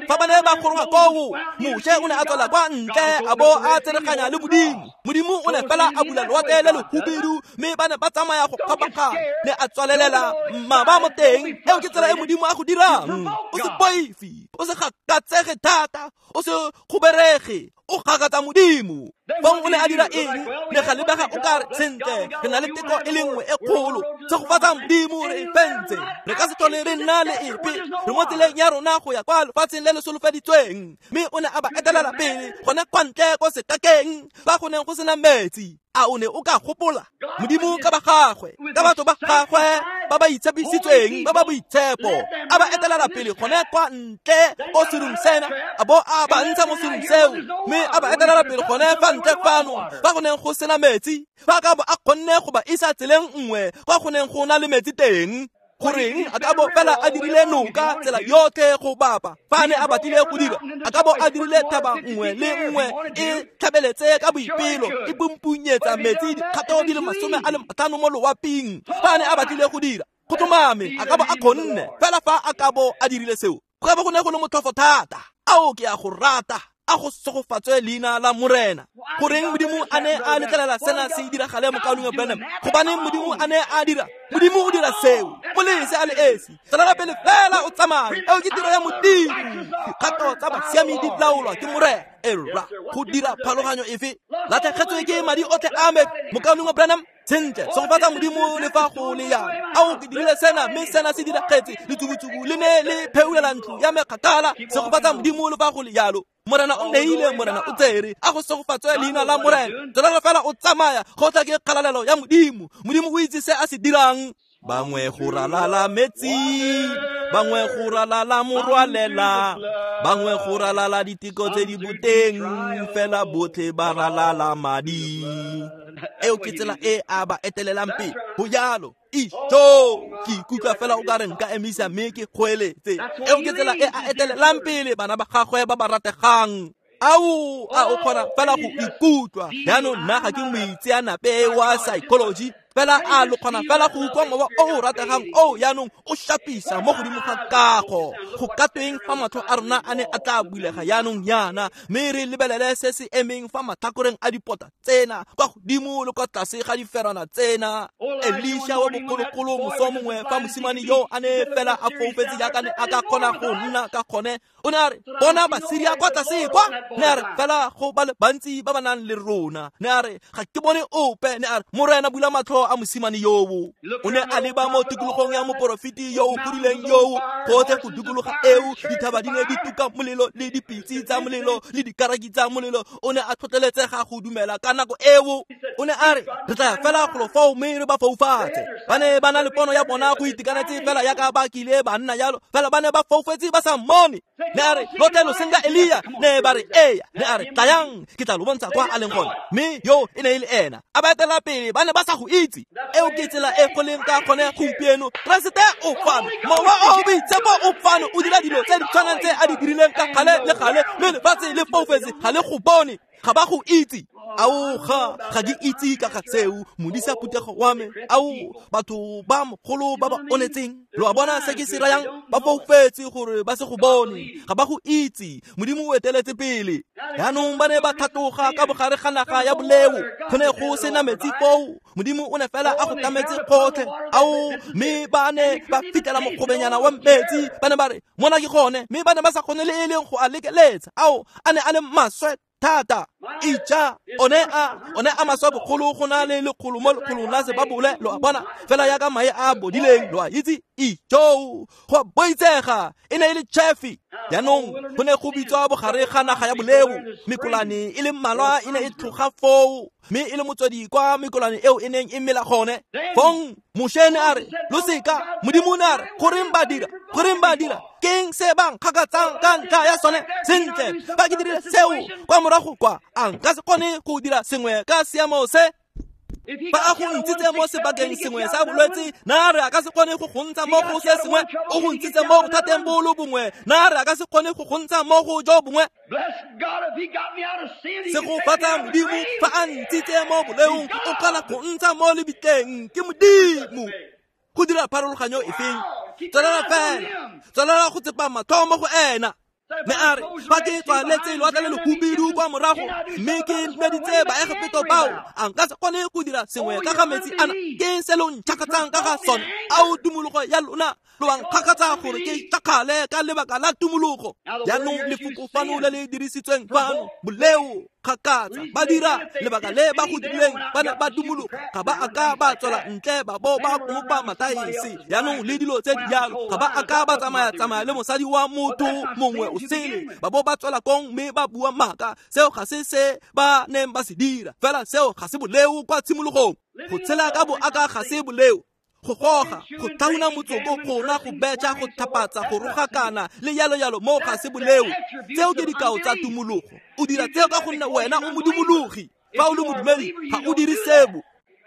A: Fa ba ne ba goroga koo, Moshe o ne a tswela kwa ntle a bo a tsereganya le Modimo. Modimo o ne fela a bula lewatle le lehubidu, mme ba ne ba tsamaya go kgabaganya. Ne a tswalelela mmaba mo teng. Eo ke tsela e Modimo a go dirang. O se boife, o se gakatsege thata, o se kgoberege, o gakatsa Modimo. Fong o ne a dira eng? Ne ga lebega o ka re, sentle, re na le teko e le nngwe e kgolo. Tshegofatsa Modimo, re e fentse. Re ka se tlhole re nna le epe. Re mo tseleng ya rona go ya kwa lefatsheng le le solofeditsweng. Mme o ne a ba etelela pele gone kwa ntle ko sekakeng, fa go neng go sena metsi. A o ne o ka gopola Modimo ka ba gagwe, ka batho ba gagwe ba ba itshepisitsweng, ba ba boitshepo, a ba etelela pele gone kwa ntle ko serung sena, a bo a ba ntsha mo serung seo, mme a ba etelela pele gone fa ntle fano, fa go neng go sena metsi, fa ka bo a kgonne go ba isa tseleng nngwe kwa go neng go na le metsi teng. Goreng a ka bo fela a dirile noka tsela yotlhe go bapa fa ne a batlile go dira? A ka bo a dirile thaba nngwe le nngwe e tlhabeletse ka boipelo, e pumpunyetsa metsi dikgato di le 50 mo loaping fa ne a batlile go dira. Go tlhomame a ka bo a kgonne, fela fa a ka bo a dirile seo, go ka bo go ne go le motlhofo thata. Ao, ke a go rata. A go segofatswe leina la Morena. Goreng Modimo a ne a letlelela sena se diragale mokaulengwe Branham? Gobaneng Modimo a ne a dira? Modimo o dira seo. Molese a le esi. Tswelela pele fela o tsamaye. Eo ke tiro ya Modimo. Dikgato tsa basiami di laolwa ke Morena. Era go dira pharologanyo efe? Latlhegetswe ke madi otlhe a me mokaulengwe Branham. Sentle, segofatsa Modimo le fa go le yang. Ao ke dirile sena mme sena se diragetse. Letsubutsubu le ne le pheulela ntlo ya me kgakala. Segofatsa Modimo le fa go le jalo. Morena o neile, Morena o tsere. A go segofatswe leina la Morena. Tswelela fela o tsamaya, go tla ke kgalalelo ya Modimo. Modimo o itse se a se dirang. Bangwe go ralala metsi, bangwe go ralala morwalela, bangwe go ralala diteko tse di boteng, fela botlhe ba ralala madi. Eo ke tsela e a ba etelelang pele. Go jalo. Ijo, ke ikutlwa fela o ka re nka emisa mme ke kgoeletse. Eo ke tsela e a etelelang pele bana ba gagwe ba ba rategang. Ao, a o kgona fela go ikutlwa. Jaanong nna ga ke moitseanape wa psychology, fela a lo kgona fela go utlwa mowa o o rategang o jaanong o shapisa mo godimo ga kago. Go ka tweng fa matlho a rona a ne a tla bulega jaanong yana, mme re lebelele se se emeng fa matlhakoreng a dipota tsena, kwa godimo le kwa tlase ga diferana tsena. Elisha wa bogologolo moso mongwe fa mosimane yo a ne fela a foufetse jaaka ne a ka kgona go nna ka gone, o ne a re, bona Basiria kwa tlase kwa. Ne a re, fela go ba le bantsi ba ba nang le rona. Ne a re, ga ke bone ope. Ne a re, Morena bula matlho a mosimane yoo. O ne a leba mo tikologong ya moporofeti yo o godileng yoo, gotlhe go dikologa eo, dithaba di ne di tuka molelo le dipitse tsa molelo le dikaraki tsa molelo. O ne a tlhotlheletsega go dumela ka nako eo. O ne a re, re tla fela golo foo mme re ba foufatse. Ba ne ba na le pono ya bona go itekanetse fela yaka ba kile ba nna jalo, fela ba ne ba foufetse ba sa mmone. Ne a re, lotlhe lo senka Elia. Ne ba re, eya. Ne a re, tlayang, ke tla lo bontsha kwa a leng gone. Mme yo e ne e le ena. A ba etela pele, ba ne ba sa go itse. Eo ke tsela e go leng ka gone gompieno. Keresete o fano, Mowa o o Boitshepo o fano, o dira dilo tse di tshwanang tse a di dirileng ka gale le gale, mme lefatshe le foufetse ga le go bone, ga ba go itse. Ao ga ke itse ka ga seo, modisa phuthego wa me. Ao batho ba mogolo ba ba onetseng, lo a bona se ke se rayang? Ba foufetse gore ba se go bone, ga ba go itse. Modimo o eteletse pele. Jaanong ba ne ba tlhatloga ka bogare ga naga ya boleo, go ne go sena metsi foo. Modimo o ne fela a go tlametse gotlhe. Ao, mme ba ne ba fitlhela mogobenyana wa metsi, ba ne ba re, mona ke gone, mme ba ne ba sa kgone le e leng go a lekeletsa. Ao, a ne a le maswe thata. Ija, one a maswe bogolo go na le lekgolo mo lekgolong la sebabole, lo a bona, fela yaka mae a bodileng, lo a itse. Ijo, go boitsega, e ne e le chefi. Jaanong go ne go bitswa bogare ga naga ya boleo. Mekolane e le mmalwa e ne e tlhoga foo, mme e le motswedi kwa mekolane eo e neng e mela gone. Fong Moshe ne a re, lo seka. Modimo ne a re, goreng ba dira? Goreng ba dira? Keng se ba nkgakatsang ka ntlha ya sone? Sentle, fa ke dirile seo kwa morago kwa, a nka se kgone go dira sengwe ka seemo se? Fa a go ntshitse mo sebakeng sengwe sa bolwetse, na re a ka se kgone go go ntsha mo go se sengwe? O go ntshitse mo bothateng bo lo bongwe, na re a ka se kgone go go ntsha mo go jo bongwe? Segofatsa Modimo fa a ntshitse mo boleong, o kgona go ntsha mo lebitleng. Ke Modimo. Go dira pharologanyo efeng? Tswelela fela, tswelela go tsepa matlho mo go ena. Ne a re, fa ke tswaletse lewatle le lehubidu kwa morago, mme ke meditse Baegepeto bao, a nka se kgone go dira sengwe ka ga metsi ana? Ke se lo ntšhakatsang ka ga sone? Ao tumologo ya lona, lo a nkgakatsa gore ke tšhakgale ka lebaka la tumologo. Jaanong lefoko fano le le dirisitsweng fano, boleo, kgakatsa, ba dira lebaka le ba go dirileng, ba ne ba dumologa, ga ba a ka ba tswela ntle ba bo ba kopa mataese. Jaanong le dilo tse di jalo, ga ba a ka ba tsamaya-tsamaya le mosadi wa motho mongwe o sele, ba bo ba tswela kong mme ba bua maaka. Seo ga se se ba neng ba se dira, fela seo ga se boleo kwa tshimologong. Go tshela ka boaka ga se boleo. Go goga, go tlhauna motsoko, go nwa, go betšha, go tlhapatsa, go rogakana le yalo yalo, mo ga se boleo. Tseo ke dikao tsa tumologo. O dira tseo ka gonne wena o modumologi. Fa o le modumedi, ga o dire sebo.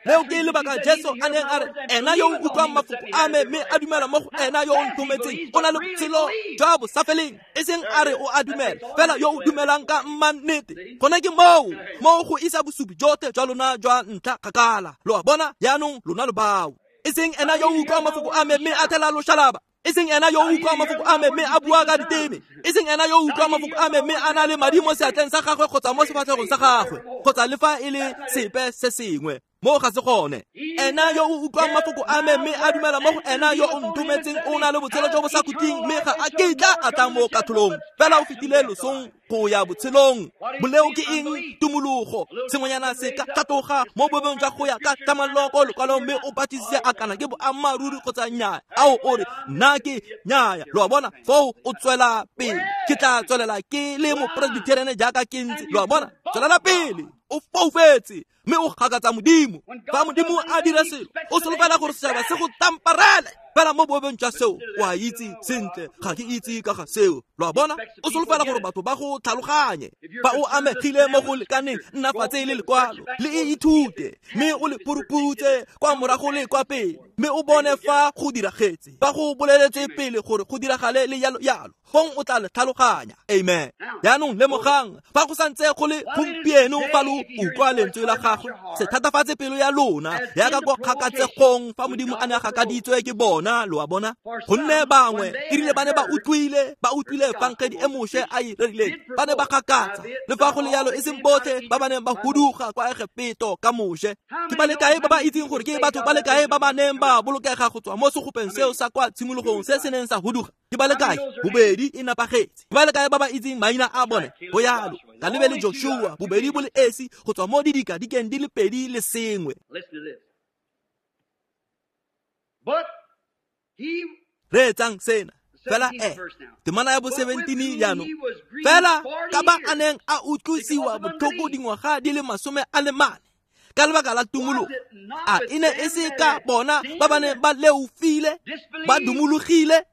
A: Leo ke lebaka Jesu a neng a re, ena yo o utlwang mafoko a me mme a dumela mo go ena yo o nthometseng, o na le botshelo jwa bosafeleng. E seng a re o a dumela, fela yo o dumelang ka mmannete. Gone ke moo, moo go isa bosupi jotlhe jwa lona jwa ntlha kgakala. Lo a bona, jaanong lona lo bao. E seng ena yo o utlwang mafoko a me mme a thela loshalaba. E seng ena yo o utlwang mafoko a me mme a bua ka diteme. E seng ena yo o utlwang mafoko a me mme a na le madi mo seatleng sa gagwe kgotsa mo sefatlhegong sa gagwe kgotsa le fa e le sepe se sengwe. Mo ga se gone. Ena yo o utlwang mafoko a me mme a dumela mo go ena yo o nthometseng o na le botshelo jo bo sa khutleng mme ga a kitla a tla mo katlholong, fela o fetile losong go ya botshelong. Boleo ke eng? Tumologo. Sengwenyana se ka tlhatloga mo bobeng jwa go ya ka tlhamallo ko lekwalong mme o batlisise a kana ke boammaaruri kgotsa nnyaa. Ao o re nna ke nnyaya. Lo a bona? Foo o tswela pele. Ke tla tswelela ke le mopresbitheriene jaaka ke ntse. Lo a bona? Tswelela pele. O foufetse mme o gakatsa Modimo. Fa Modimo a dira selo, o solofela gore setšhaba se go tamparele. Fela mo boemong jwa seo, o a itse sentle, ga ke itse ka ga seo. Lo a bona? O solofela gore batho ba go tlhaloganye. Fa o amegile mo go lekaneng, nna fatshe le lekwalo, le e ithute, mme o le puruputse kwa morago le kwa pele, mme o bone fa go diragetse, fa go boleletswe pele gore go diragale le yalo yalo. Fong o tla le tlhaloganya. Amen. Jaanong lemogang, fa go santse go le gompieno fa lo utlwa lentswe la gagwe, se thatafatse pelo ya lona yaka kwa kgakatsegong fa Modimo a ne a gakaditswe ke bona. Lo a bona? Gonne bangwe e rile ba ne ba utlwile efangedi e Moshe a e rerileng, ba ne ba gakatsa. Le fa go le yalo e seng botlhe ba ba neng ba huduga kwa Egepeto ka Moshe. Ke ba le kae ba ba itseng gore ke batho ba le kae ba ba neng ba bolokega go tswa mo segopeng seo sa kwa tshimologong se se neng sa huduga? Ke ba le kae? Bobedi e napagetse. Ke ba le kae ba ba itseng maina a bone? Go yalo, Kalebe le Joshua, bobedi bo le esi go tswa mo didikadikeng di le pedi le sengwe. Reetsang sena. Fela temana ya bo 17 jaanong. Fela ka ba a neng a utlwisiwa botlhoko dingwaga di le 40 ka lebaka la tumologo, a e ne e se ka bona ba ba neng ba leofile, ba dumologile?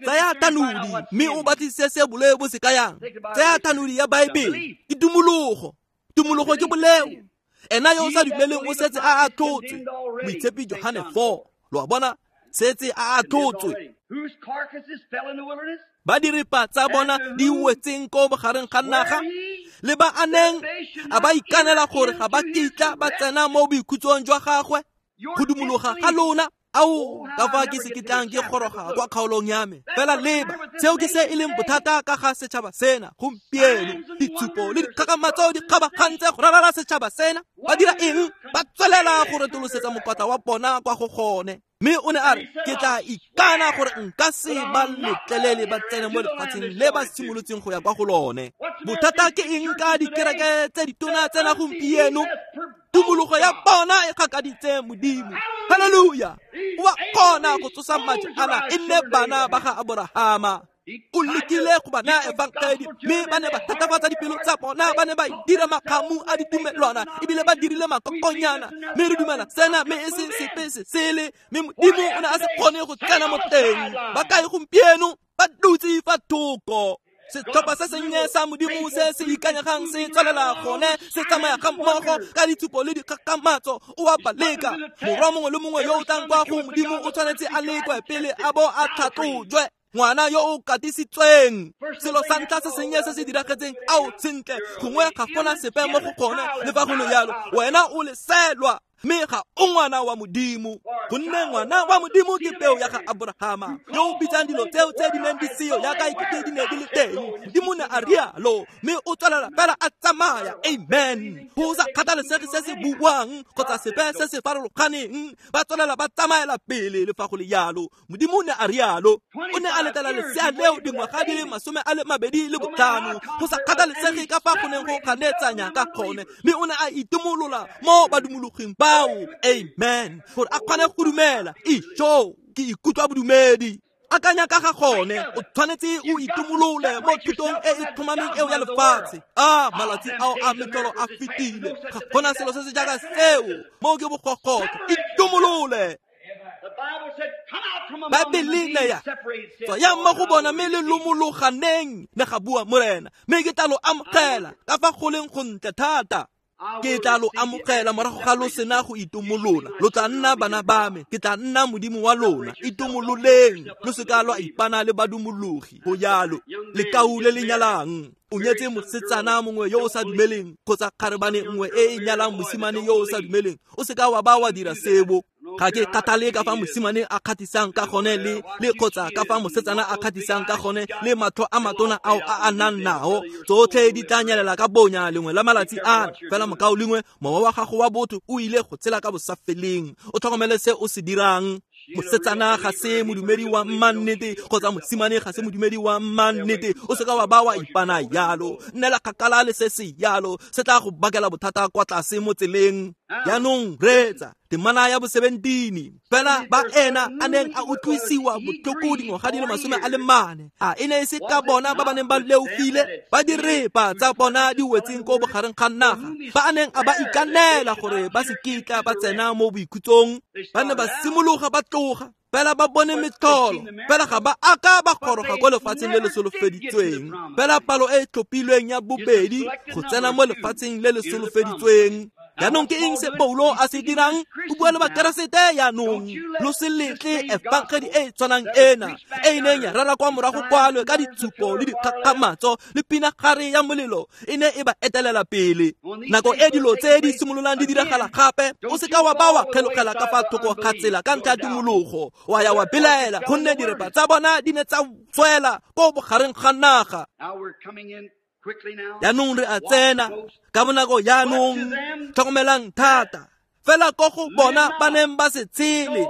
A: Tsaya thanodi mme o batlisise se boleo bo se kayang. Tsaya thanodi ya Baebele. Ke tumologo. Tumologo ke boleo. Ena yo o sa dumeleng o setse a atlhotswe. Moitshepi Johane 4. Lo a bona? Setse a atlhotswe. Ba diripa tsa bona di wetseng ko bogareng ga naga, le ba a neng a ba ikanela gore ga ba kitla ba tsena mo boikhutsong jwa gagwe. Go dumologa ga lona, ao ka fa ke se kitlang ke goroga kwa kgaolong ya me. Fela leba, seo ke se e leng bothata ka ga setšhaba sena gompieno. Ditshupo le dikgakgamatso di kgabagantse go ralala setšhaba sena. Ba dira eng? Ba tswelela go retolosetsa mokotla wa bona kwa go gone. Mme o ne a re, ke tla ikana gore nka se ba letlelele ba tsene mo lefatsheng le ba simolotseng go ya kwa go lone. Bothata ke eng ka dikereke tse ditona tsena gompieno? Tumologo ya bona e gakaditse Modimo. Haleluya! O a kgona go tsosa maje ana e nne bana ba ga Aborahama. O lekile go ba naya efangedi, mme ba ne ba thatafatsa dipelo tsa bona, ba ne ba dira makgamu a ditumelwana, ebile ba dirile makokonyana. Mme re dumela sena, mme e se sepe se sele. Mme Modimo o ne a se kgone go tsena mo teng. Ba kae gompieno? Ba dutse fa thoko. Setlhopha se sennye sa Modimo se se ikanyegang se tswelela gone, se tsamaya ga mmogo ka ditshupo le dikgakgamatso. O a ba leka. Morwa mongwe le mongwe yo o tlang kwa go Modimo o tshwanetse a lekwe pele a bo a tlhatlojwe. Ngwana yo o katisitsweng. Selo sa ntlha se sennye se se diragetseng, ao sentle, gongwe ga gona sepe mo go gone. Le fa go le yalo, wena o leselwa, mme ga o ngwana wa Modimo. Gonne ngwana wa Modimo ke peo ya ga Aborahama, yo o bitsang dilo tseo tse di neng di seo yaka ekete di ne di le teng. Modimo ne a rialo, mme o tswelela fela a tsamaya. Amen. Go sa kgathalesege se se buang kgotsa sepe se se farologaneng, ba tswelela ba tsamaela pele. Le fa go le yalo, Modimo ne a rialo. O ne a letela lesea leo dingwaga di le 25, go sa kgathalesege ka fa go neng go ganetsanya ka gone, mme o ne a itumolola mo badumologing bao. Amen. Gore a kgone go dumela. Ijo, ke ikutlwa bodumedi. Akanya ka ga gone, o tshwanetse o itumolole mo thutong e e tlhomameng eo ya lefatshe. A malatsi ao a metlolo a fetile, ga gona selo se se jaaka seo. Mo ke bogogotlo. Itumolole. Baebele ne ya tswayang mo go bona mme le lomologaneng, ne ga bua Morena, mme ke tla lo amogela ka fa go leng gontle thata. Ke tla lo amogela morago ga lo sena go itumolola. Lo tla nna bana ba me, ke tla nna Modimo wa lona. Itumololeng, lo se ka lwa ipana le badumologi. Go jalo, lekau le le nyalang o nyetse mosetsana mongwe yo o sa dumeleng, kgotsa kgarebane nngwe e e nyalang mosimane yo o sa dumeleng, o se ka wa ba wa dira sebo. Ga ke kgathale ka fa mosimane a kgathisang ka gone le kgotsa ka fa mosetsana a kgathisang ka gone le matlho a matona ao a a nang nao, tsotlhe di tla nyelela ka bonya lengwe la malatsi ano. Fela mokao lengwe, mowa wa gago wa botho o ile go tshela ka bosafeleng. O tlhokomele se o se dirang. Mosetsana ga se modumedi wa mannete kgotsa mosimane ga se modumedi wa mannete. O seka wa ba wa ipana yalo. Nnela kgakala le se se yalo, se tla go bakela bothata kwa tlase mo tseleng. Jaanong reetsa temana ya bo 17. Fela ba ena a neng a utlwisiwa botlhoko dingwaga di le 40, a e ne e se ka bona ba ba neng ba leofile, ba direpa tsa bona di wetseng ko bogareng ga naga, ba a neng a ba ikanela gore ba se kitla ba tsena mo boikhutsong. Ba ne ba simologa ba tloga, fela ba bone metlholo, fela ga ba aka ba goroga ko lefatsheng le le solofeditsweng. Fela palo e e tlhophilweng ya bobedi go tsena mo lefatsheng le le solofeditsweng. Jaanong ke eng se Paulo a se dirang? O bua le Bakeresete jaanong. Lo se letle efangedi e e tshwanang ena e e neng ya rera kwa morago kwalo ka ditshupo le dikgakgamatso le pinagare ya molelo e ne e ba etelela pele. Nako e dilo tse di simololang di diragala gape, o seka wa ba wa kgelogela ka fa thoko ga tsela ka ntlha ya tumologo, wa ya wa belaela, gonne direpa tsa bona di ne tsa tswela ko bogareng ga naga. Jaanong re a tsena ka bonako jaanong, tlhokomelang thata. Fela ko go bona ba neng ba se tshele.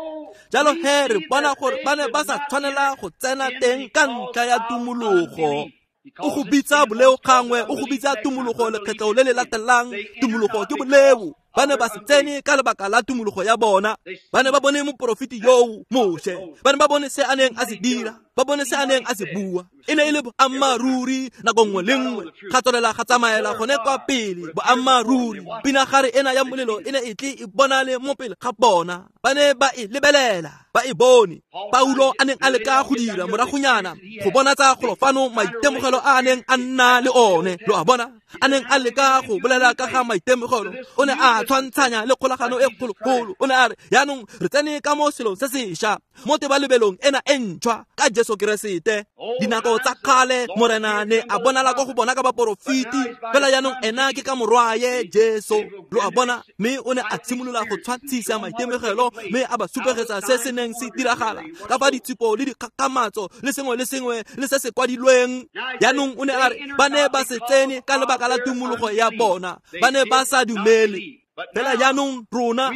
A: Jalo he re bona gore ba ne ba sa tshwanela go tsena teng ka ntlha ya tumologo. O go bitsa boleo gangwe, o go bitsa tumologo lekgetlo le le latelang. Tumologo ke boleo. Ba ne ba se tsene ka lebaka la tumologo ya bona. Ba ne ba bone moporofeti yoo, Moshe. Ba ne ba bone se a neng a se dira, ba bone se a neng a se bua. E ne e le boammaaruri nako nngwe le nngwe. Ga tswelela ga tsamaela gone kwa pele, boammaaruri. Pinagare ena ya molelo e ne e tle e bonale mo pele ga bona. Ba ne ba e lebelela, ba e bone. Paulo a neng a leka go dira moragonyana go bonatsa golo fano maitemogelo a a neng a nna le one. Lo a bona? A neng a leka go bolela ka ga maitemogelo, o ne a tshwantshanya le kgolagano e kgologolo. O ne a re, jaanong re tsene ka mo selong se sešwa, mo tebalebelong ena e ntšhwa ka Jesu Keresete. Dinako tsa kgale Morena ne a bonala ko go bona ka baporofeti, fela jaanong ena ke ka morwaye Jesu. Lo a bona? Mme o ne a simolola go tshwantshisa maitemogelo, mme a ba supegetsa se se neng se diragala ka fa ditshupo le dikgakgamatso le sengwe le sengwe le se se kwadilweng. Jaanong o ne a re ba ne ba se tsene ka lebaka la tumologo ya bona, ba ne ba sa dumele. Fela jaanong rona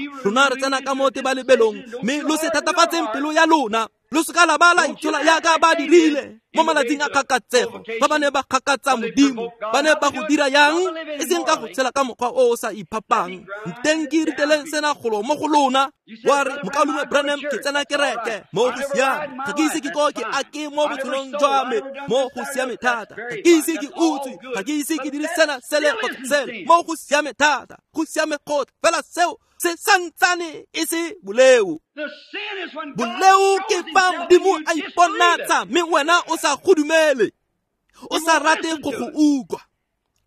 A: re tsena ka mo tebalebelong, mme lo se thatafatseng pelo ya lona. Lo seka la ba la itshola yaka ba dirile mo malatsing a kgakatsego, ba ba ne ba kgakatsa Modimo. Ba ne ba go dira yang? E seng ka go tshela ka mokgwa o o sa iphapang. Nteng ke riteleng sena golo mo go lona. Wa re, mokaulengwe Branham, ke tsena kereke. Mo go siame. Ga ke ise ke ko ke ake mo botshelong jwa me. Mo go siame thata. Ga ke ise ke utswe. Ga ke ise ke dire sena sele kgotsa sele. Mo go siame thata. Go siame gotlhe. Fela seo se santsane e se boleo. Boleo ke fa Modimo a iponatsa, mme wena o sa go dumele, o sa rate go go utlwa.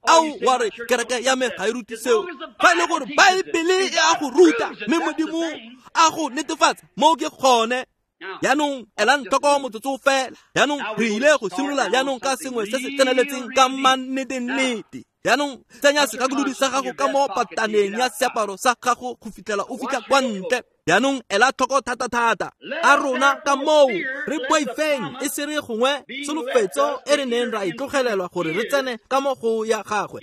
A: Ao wa re, kereke ya me ga e rute seo. Fa e le gore Baebele e a go ruta, mme Modimo a go netefatsa, mo ke gone. Jaanong elang tlhoko motsotso fela. Jaanong re ile go simolola jaanong ka sengwe se se tseneletseng ka mannete-nnete. Jaanong tsenya segakolodi sa gago ka mo pataneng ya seaparo sa gago go fitlhela o fitlha kwa ntle. Jaanong ela tlhoko thata-thata. A rona ka moo re boifeng e se re gongwe tsholofetso e re neng ra e tlogelelwa gore re tsene ka mo go ya gagwe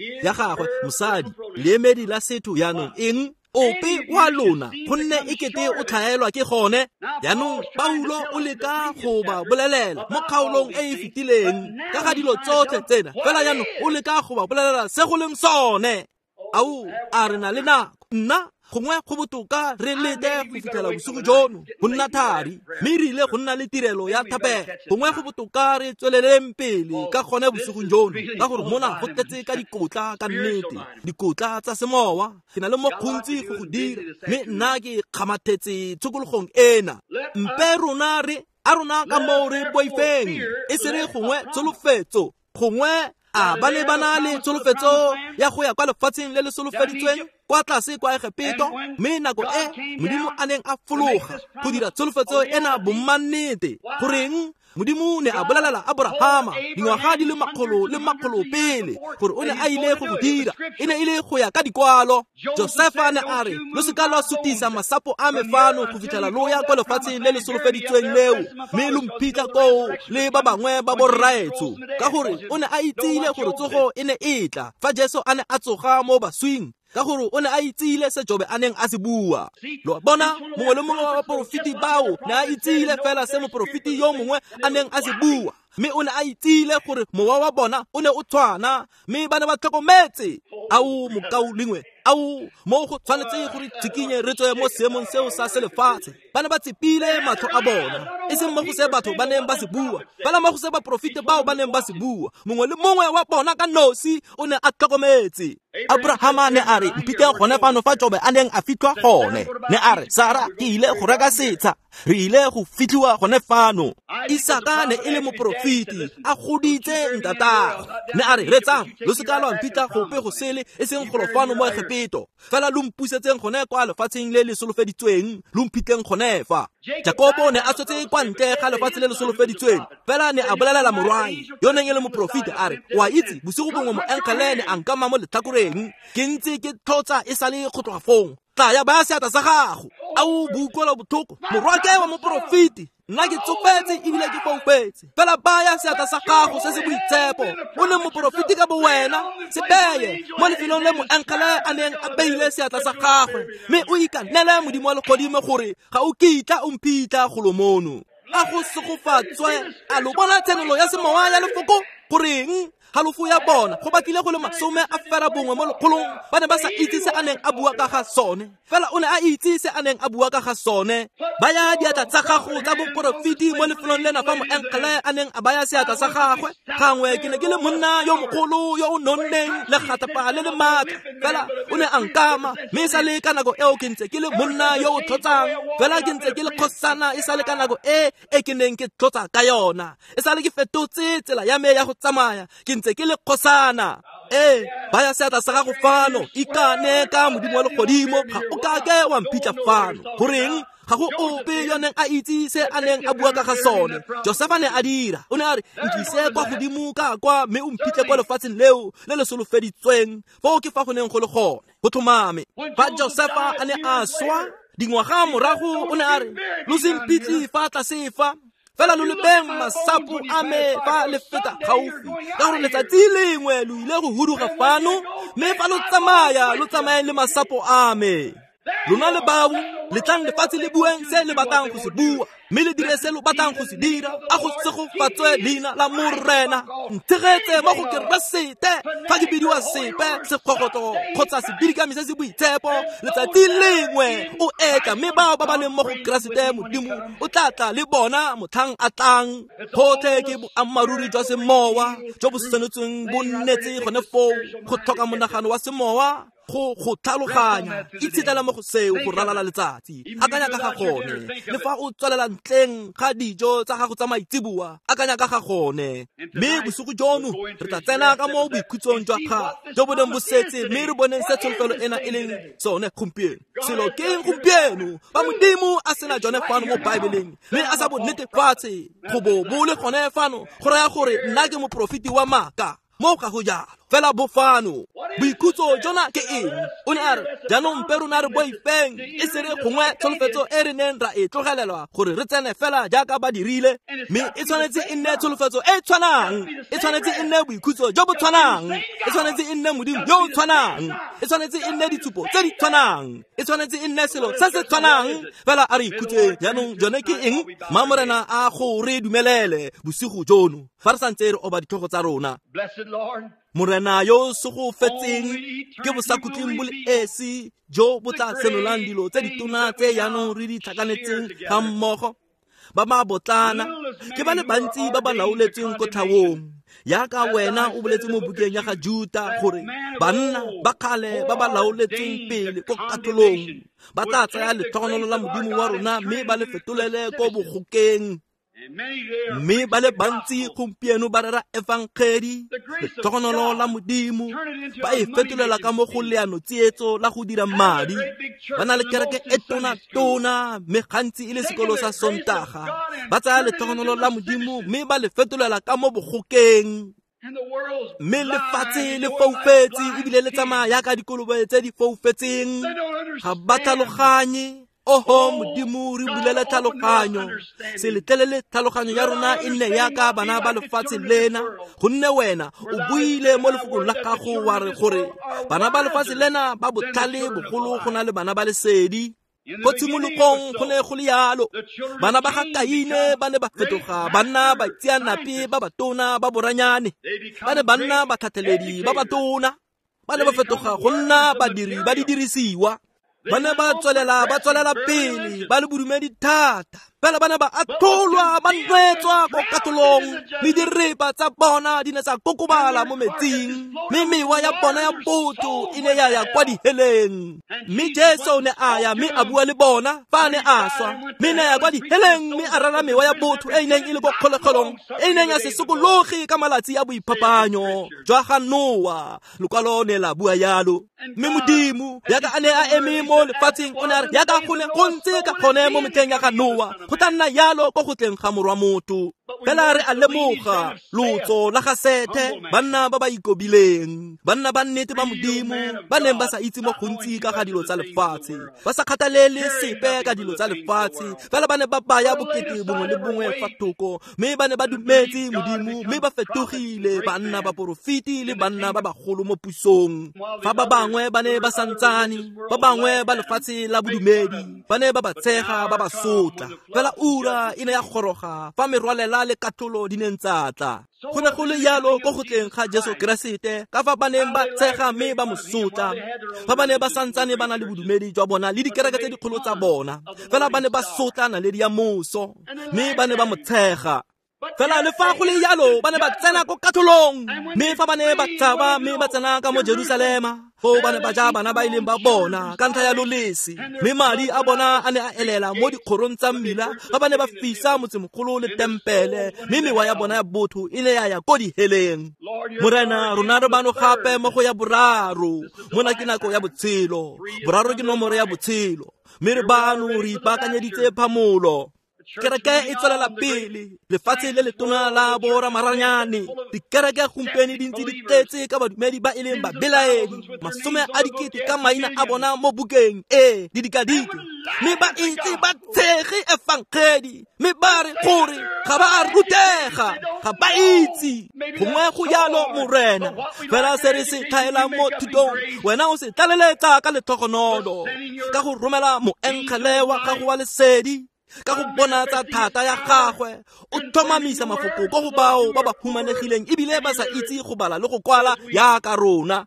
A: mosadi, leemedi la setho. Jaanong eng? Ope wa lona, gonne e kete o tlhaelwa ke gone. Jaanong Paulo o leka go ba bolelela mo kgaolong e e fetileng ka ga dilo tsotlhe tsena, fela jaanong o leka go ba bolelela se go leng sone. Ao, a re na le nako? Nna gongwe go botoka re lete go fitlhela bosigo jono go nna thari, mme re ile go nna le tirelo ya thapelo. Gongwe go botoka re tsweleleng pele ka gone bosigong jono, ka gore mona go tletse ka dikotla ka nnete, dikotla tsa semowa. Ke na le mo gontsi go go dira, mme nna ke kgamathetse tshokologong ena. Mpe rona re a rona ka moo re boifeng e se re gongwe tsholofetso, gongwe a ba ne ba na le tsholofetso ya go ya kwa lefatsheng le le solofeditsweng kwa tlase kwa Egepeto, mme nako e Modimo a neng a fologa go dira tsholofetso ena bommannete, goreng Modimo ne a bolelela Abrahama dingwaga di le makgolo le makgolo pele gore o ne a ile go go dira. E ne e le go ya ka dikwalo. Josefa ne a re, lo seka lwa sutisa masapo a me fano go fitlhela lo ya kwa lefatsheng le le solofeditsweng leo, mme lo mphitlha koo le ba bangwe ba borraetsho. Ka gore o ne a itsile gore tsogo e ne e tla fa Jesu a ne a tsoga mo baswing, ka gore o ne a itsile se Jobe a neng a se bua. Lo bona, mongwe le mongwe wa baporofeti bao ne a itsile fela se moporofeti yo mongwe a neng a se bua, mme o ne a itsile gore mowa wa bona o ne o tshwana, mme ba ne ba tlhokometse. Ao mokaulengwe, ao mo go tshwanetse gore tshikinye re tswe mo seemong seo sa selefatshe. Ba ne ba tsepile matlho a bona, e seng mo go se batho ba neng ba se bua, fela mo go se baporofeti bao ba neng ba se bua. Mongwe le mongwe wa bona ka nosi o ne a tlhokometse. Abrahama ne a re, mphitlhe gone fano fa Jobe a neng a fitlhwa gone. Ne a re, Sara, ke ile go reka setsha, re ile go fitlhiwa gone fano. Isaka ne e le moporofeti, a goditse ntatagwe. Ne a re, retsang, lo seka lwa mphitlha gope go sele, e seng golo fano mo Egepeto, fela lo mpusetseng gone kwa lefatsheng le le solofeditsweng, lo mphitlheng gone fa. Jakobo ne a tswetse kwa ntle ga lefatshe le le solofeditsweng, fela ne a bolelela morwae yo neng e le moporofeti a re, o a itse, bosigo bongwe moengele ne a nkama mo letlhakoreng, ke ntse ke tlotsa e sale go tloga fong. Tla ya baya seatla sa gago. Ao boutlwela botlhoko, morwake wa moporofeti, nna ke tsofetse ebile ke foufetse, fela baya seatla sa gago se se boitshepo, o leng moporofeti ka bowena, se beye mo lefelong le moengele a neng a beile seatla sa gagwe, mme o ikanele Modimo wa legodimo gore ga o kitla o mphitlha golo mono. A go segofatswe. A lo bona tshenolo ya semowa ya lefoko? Goreng halofo ya bona go batlile go le 90 mo lekgolong ba ne ba sa itse se a neng a bua ka ga sone, fela o ne a itse se a neng a bua ka ga sone. Baya diatla tsa gago tsa boporofeti mo lefelong lena fa moengele a neng a baya seatla sa gagwe. Gangwe ke ne ke le monna yo mogolo yo o nonneng le gatapa le le maatla, fela o ne a nkama, mme e sa le ka nako eo ke ntse ke le monna yo o tlhotsang, fela ke ntse ke le kgosana e sa le ka nako e e ke neng ke tlotsa ka yona. E sa le ke fetotse tsela ya me ya go tsamaya, ke ntse ke le kgosana. Ee, baya seatla sa gago fano, ikane ka Modimo wa legodimo, ga o kake wa mphitlha fano. Goreng? Ga go ope yo neng a itse se a neng a bua ka ga sone. Josefa ne a dira, o ne a re, nkise kwa godimo ka kwa, mme o mphitlhe kwa lefatsheng leo le le solofeditsweng. Foo ke fa go neng go le gone, go tlhomame. Fa Josefa a ne a swa dingwaga morago, o ne a re, lo se mphitlhe fa tlase fa, fela lo lebeng masapo a me fa le feta gaufi, ka gore letsatsi lengwe lo ile go huduga fano, mme fa lo tsamaya lo tsamayeng le masapo a me. Lona le bao letlang lefatshe le bueng se le batlang go se bua, mme le dire se lo batlang go se dira. A go segofatswe leina la Morena. Ntshegetse mo go Keresete. Fa ke bidiwa sepe sekgogotlo kgotsa sebidikami se se boitshepo, letsatsi lengwe o etla, mme bao ba ba leng mo go Keresete Modimo o tla tla le bona motlhang a tlang. Gotlhe ke boammaaruri jwa semowa jo bo senotsweng bo nnetse gone foo, go tlhoka monagano wa semowa go go tlhaloganya. Itshetlela mo go seo go ralala letsatsi, akanya ka ga gone. Le fa o tswelela ntleng ga dijo tsa gago tsa maitseboa, akanya ka ga gone. Mme bosigo jono re tla tsena ka mo boikhutsong jwa ga jo bo neng bo setse, mme re boneng se tsholofelo ena e leng sone gompieno. Selo ke eng gompieno fa Modimo a sena jone fano mo Baebeleng, mme a sa bo netefatse go bo bo le gone fano, go raya gore nna ke moporofeti wa maaka. Mo ga go jalo, fela bo fano. Boikhutso jona ke eng? O ne a re, jaanong mpe rona re boifeng, e se re gongwe tsholofetso e re neng ra e tlogelelwa gore re tsene fela jaaka ba dirile, mme e tshwanetse e nne tsholofetso e tshwanang, e tshwanetse e nne boikhutso jo bo tshwanang, e tshwanetse e nne Modimo yo o tshwanang, e tshwanetse e nne ditshupo tse di tshwanang, e tshwanetse e nne selo se se tshwanang. Fela a re ikhutseng jaanong. Jone ke eng? Ma Morena a go re dumelele bosigo jono fa re santse re oba ditlhogo tsa rona. Morena yo segofetseng ke bosakhutleng bo le esi jo bo tla senolang dilo tse ditona tse jaanong re di tlhakanetseng ga mmogo. Ba ba botlana ke ba le bantsi ba ba laoletsweng ko tlhaong, yaka wena o boletse mo bukeng ya ga Juta gore banna ba kgale ba ba laoletsweng pele ko katolong ba tla tsaya letlhogonolo la Modimo wa rona mme ba le fetolele ko bogokeng. Mme ba le bantsi gompieno ba rera efangedi, letlhogonolo la Modimo, ba e fetolela ka mo go leano tsietso la go dira madi. Ba na le kereke e tona-tona, mme gantsi e le sekolo sa Sontaga. Ba tsaya letlhogonolo la Modimo mme ba le fetolela ka mo bogokeng. Mme lefatshe le foufetse ebile le tsamaya yaka dikolobe tse di foufetseng. Ga ba tlhaloganye. Oho Modimo, re bulele tlhaloganyo. Se letlelele tlhaloganyo ya rona e nne yaka bana ba lefatshe lena, gonne wena o buile mo lefokong la gago wa re gore bana ba lefatshe lena ba botlhale bogolo go na le bana ba lesedi. Ko tshimologong go ne go le yalo. Bana ba ga Kaine ba ne ba fetoga ba nna baitseanape ba batona ba boranyane. Ba ne ba nna batlhatlheledi ba batona. Ba ne ba fetoga go nna badiri ba didirisiwa. Ba ne ba tswelela pele ba le bodumedi thata. Fela ba ne ba atholwa, ba nwetswa ko katolong, mme direpa tsa bona di ne tsa kokobala mo metsing, mme mewa ya bona ya botho e ne ya ya kwa diheleng. Mme Jesu o ne a ya mme a bua le bona fa a ne a swa, mme ne ya kwa diheleng mme a rera mewa ya botho e e neng e le ko kgolegelong, e e neng ya se sokologe ka malatsi a boiphapanyo jwa ga Noa. Lokwalo ne la bua yalo. Mme Modimo yaka a ne a eme mo lefatsheng o ne a re yaka go ne go ntse ka gone mo metlheng ya ga Noa, go tla nna yalo ko go tleng ga morwa motho. Fela re a lemoga lotso la ga Sethe, banna ba ba ikobileng, banna ba nnete ba Modimo, ba neng ba sa itse mo gontsi ka ga dilo tsa lefatshe, ba sa kgathalele sepe ka dilo tsa lefatshe. Fela ba ne ba baya bokete bongwe le bongwe fa thoko, mme ba ne ba dumetse Modimo, mme ba fetogile banna ba porofiti le banna ba bagolo mo pusong. Fa ba bangwe ba ne ba santsane, ba bangwe ba lefatshe la bodumedi ba ne ba ba tshega, ba ba sotla. Fela ura e ne ya goroga fa merwalela le katlholo di neng tsa tla. Go ne go le yalo ko go tleng ga Jesu Keresete, ka fa ba neng ba tshega mme ba mo sotla, fa ba ne ba santsane ba na le bodumedi jwa bona le dikereke tse dikgolo tsa bona. Fela ba ne ba sotla naledi ya moso, mme ba ne ba mo tshega. Fela le fa go le yalo ba ne ba tsena ko katlholong, mme fa ba ne ba tshaba mme ba tsena ka mo Jerusalema, foo ba ne ba ja bana ba ileng ba bona ka ntlha ya lolese, mme madi a bona a ne a elela mo dikgorong tsa mmila fa ba ne ba fisa motsemogolo le tempele, mme mewa ya bona ya botho e ne ya ya ko diheleng. Morena, rona re bano gape mo go ya boraro. Mona ke nako ya botshelo. Boraro ke nomoro ya botshelo, mme re bano re ipaakanyeditse phamolo. Kereke e tswelela pele, lefatshe le letona la boramaranyane. Dikereke gompieno di ntse di tletse ka badumedi ba e leng babelaedi, 10,000 ka maina a bona mo bukeng e di dikadike, mme ba itse ba tshege efangedi, mme ba re gore ga ba a rutega, ga ba itse. Gongwe go yalo Morena, fela se re se tlhaelang mo thutong, wena o se tlaleletsa ka letlhogonolo, ka go romela moengele wa gago wa lesedi, ka go bonatsa thata ya gagwe. O tlhomamisa mafoko ko go bao ba ba humanegileng ebile ba sa itse go bala le go kwala yaka rona.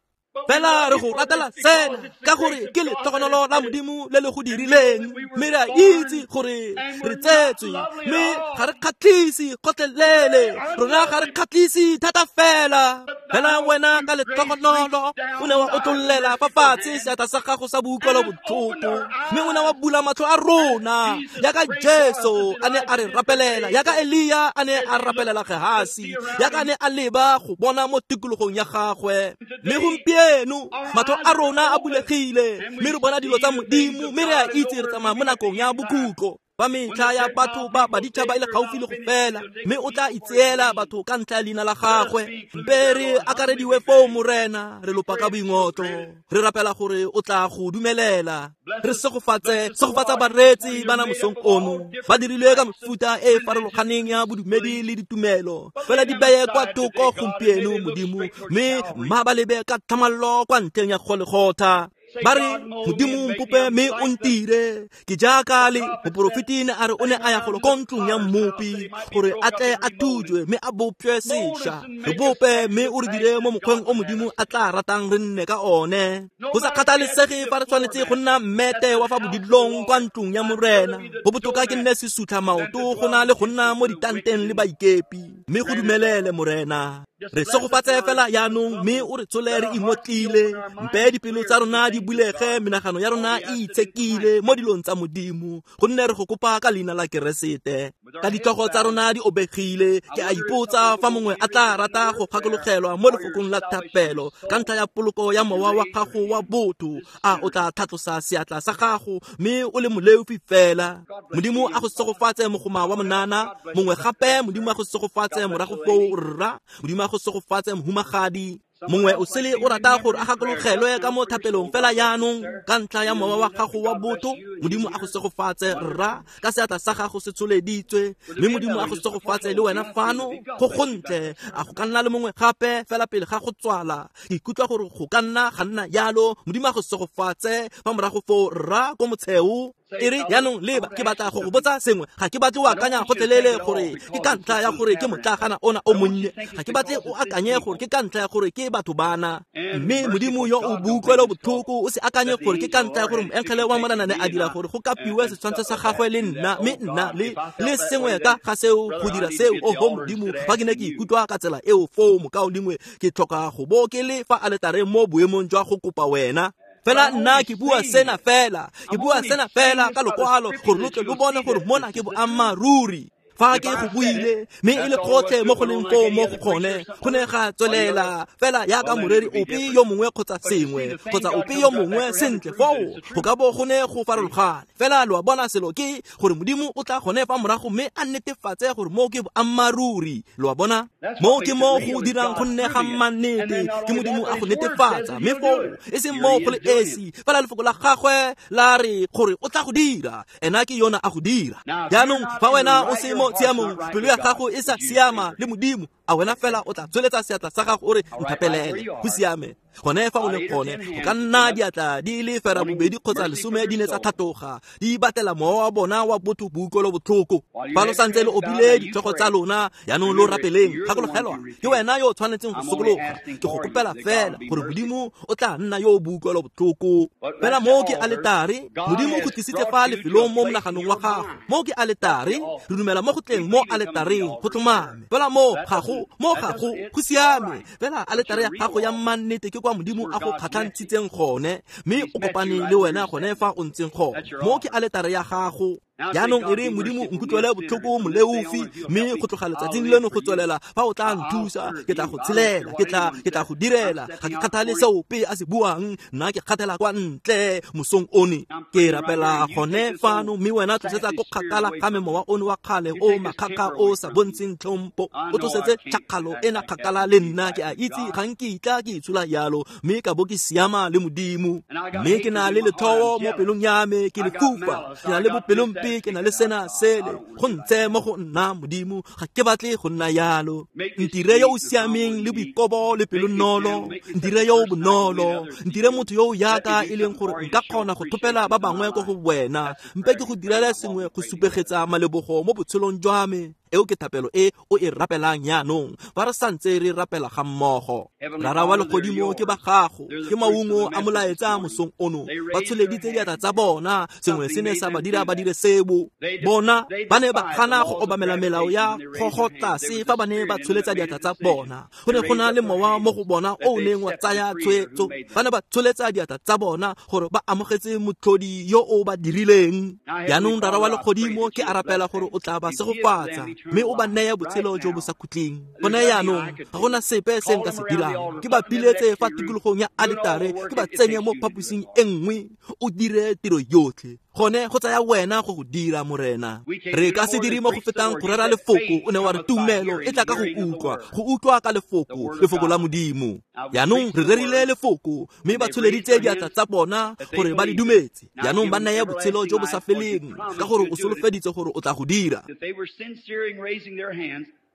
A: Fela re go ratela sena ka gore ke letlhogonolo la Modimo le le go dirileng, mme re a itse gore re tsetswe, mme ga re kgatlhise gotlhelele. Rona ga re kgatlhise thata fela. Fela wena ka letlhogonolo o ne wa otlollela fa fatshe seatla sa gago sa boutlwelo botlhoko, mme o ne wa bula matlho a rona yaka Jesu a ne a re rapelela, yaka Elia a ne a rapelela Gehasi, yaka a ne a leba go bona mo tikologong ya gagwe. Mme gompieno matlho a rona a bulegile, mme re bona dilo tsa Modimo, mme re a itse re tsamaya mo nakong ya bokhutlo. Ba metlha ya batho ba baditšhaba e le gaufi le go fela, mme o tla itseela batho ka ntlha ya leina la gagwe. Mpe re akarediwe foo Morena, re lopa ka boingotlo, re rapela gore o tla go dumelela. Re segofatsa bareetsi ba na mosong ono, ba dirilwe ka mefuta e e farologaneng ya bodumedi le ditumelo. Fela di beye kwa thoko gompieno Modimo, mme mma ba lebe ka tlhamallo kwa ntlheng ya Golegotha. Ba re Modimo mpope mme o ntire ke jaaka le moporofeti ne a re o ne a ya golo ko ntlong ya mmopi gore a tle a thujwe mme a bopjwe sešwa. Re bope mme o re dire mo mokgweng o Modimo a tla ratang re nne ka one. Go sa kgathalesege fa re tshwanetse go nna mmete wa fa bodilong kwa ntlong ya Morena, go botoka ke nne sesutlha maoto go na le go nna mo ditanteng le baikepi. Mme go dumelele Morena. Re segofatse fela jaanong, mme o re tsole re ingotlile. Mpe dipelo tsa rona di bulege, menagano ya rona e itshekile mo dilong tsa Modimo, gonne re go kopa ka leina la Keresete. Ka ditlhogo tsa rona di obegile, ke a ipotsa fa mongwe a tla rata go gakologelwa mo lefokong la thapelo ka ntlha ya poloko ya mowa wa gago wa botho. A o tla tlhatlosa seatla sa gago mme o le moleofi fela? Modimo a go segofatse mogoma wa monana. Mongwe gape, Modimo a go segofatse morago foo rra. Modimo a go segofatse mohumagadi. Mongwe o sele o rata gore a gakologelwe ka mo thapelong fela jaanong ka ntlha ya mowa wa gago wa botho. Modimo a go segofatse rra, ka seatla sa gago se tsholeditswe, mme Modimo a go segofatse le wena fano. Go gontle. A go ka nna le mongwe gape fela pele ga go tswala? Ke ikutlwa gore go ka nna ga nna jalo. Modimo a go segofatse fa morago foo rra ko motsheo. E re jaanong leba, ke batla go go botsa sengwe. Ga ke batle o akanya gotlhelele gore ke ka ntlha ya gore ke motlagana ona o monnye. Ga ke batle o akanye gore ke ka ntlha ya gore ke batho bana. Mme Modimo yo o boutlwelo botlhoko, o se akanye gore ke ka ntlha ya gore moengele wa Morena ne a dira gore go kapiwe setshwantsho sa gagwe le nna, mme nna le sengwe ka ga seo go dira seo. Oho Modimo, fa ke ne ke ikutlwa ka tsela eo foo mokao lengwe, ke tlhoka go bo ke le fa aletareng mo boemong jwa go kopa wena. Fela nna ke bua sena fela, ke bua sena fela ka lokwalo gore lo tle lo bone gore mona ke boammaaruri. Fa ke go buile, mme e le gotlhe mo go leng foo mo go gone, go ne ga tswelela fela jaaka moreri ope yo mongwe kgotsa sengwe kgotsa ope yo mongwe. Sentle foo go ka bo go ne go farologane. Fela lo a bona, selo ke gore Modimo o tla gone fa morago mme a netefatse gore mo ke boammaaruri. Lo a bona, mo ke mo go dirang go nne ga mannete, ke Modimo a go netefatsa. Mme foo e seng mo go le esi, fela lefoko la gagwe la re gore o tla go dira, ena ke yona a go dira. Jaanong fa wena o se mo tshiamong, pelo ya gago e sa siama le Modimo, a wena fela o tla tsweletsa seatla sa gago o re nthapelele. Go siame. Gone fa o le gone, go ka nna diatla di le fera bobedi kgotsa 10 di ne tsa tlhatoga, di batela mowa wa bona wa botho boutlwelo botlhoko. Fa lo santse le obile ditlhogo tsa lona, jaanong lo rapeleng. Gakologelwa, ke wena yo o tshwanetseng go sokologa. Ke go kopela fela gore Modimo o tla nna yo o boutlwelo botlhoko. Fela mo ke aletare, Modimo o go tlisitse fa lefelong mo monaganong wa gago. Mo ke aletare, re dumela mo go tleng mo aletareng go tlhomame. Fela mo gago, mo gago go siame. Fela aletare ya gago ya mannete ke kwa Modimo a go kgatlhantshitseng gone, mme o kopane le wena gone fa o ntseng gone. Mo ke aletare ya gago. Jaanong e re Modimo nkutlwele botlhoko moleofi, mme go tloga letsatsing leno go tswelela fa o tla nthusa, ke tla go tshelela, ke tla go direla. Ga ke kgathale se ope a se buang, nna ke kgathela kwa ntle mosong one. Ke rapela gone fano, mme wena tlosetsa ko kgakala ga me mowa ono wa kgale o makgakga o sa bontsheng tlhompho. O tlosetse tšhakgalo ena kgakala le nna. Ke a itse ga nkitla ke itshola jalo, mme ka bo ke siama le Modimo. Mme ke na le letlhoo mo pelong ya me, ke lefufa, ke na le bopelompe, ke na le sena sele go ntse mo go nna. Modimo, ga ke batle go nna yalo. Ntire yo o siameng le boikobo le pelonolo, ntire yo o bonolo, ntire motho yo o yaka e leng gore nka kgona go thopela ba bangwe ko go wena. Mpe ke go direle sengwe go supegetsa malebogo mo botshelong jwa me. Eo ke thapelo e o e rapelang jaanong fa re santse re rapela ga mmogo. Rara wa legodimo, ke ba gago, ke maungo a molaetsa mosong ono. Ba tsholeditse diatla tsa bona, sengwe se ne sa ba dira ba dire sebo. Bona ba ne ba gana go obamela melao ya gogo tlase fa ba ne ba tsholetsa diatla tsa bona. Go ne go na le mowa mo go bona o o neng wa tsaya tshwetso. Ba ne ba tsholetsa diatla tsa bona gore ba amogetse motlhodi yo o ba dirileng. Jaanong Rara wa legodimo, ke a rapela gore o tla ba segofatsa mme o ba neye botshelo jo bo sa khutleng. Gone jaanong ga gona sepe se nka se dirang. Ke ba piletse fa tikologong ya aletare, ke ba tsenye mo phaposing e nngwe. O dire tiro yotlhe. Gone go tsaya wena go go dira, Morena. Re ka se dire mo go fetang go rera lefoko. O ne wa re tumelo e tla ka go utlwa, go utlwa ka lefoko, lefoko la Modimo. Jaanong re rerile lefoko, mme ba tsholeditse diatla tsa bona gore ba le dumetse. Jaanong ba neye botshelo jo bo sa feleng, ka gore o solofeditse gore o tla go dira.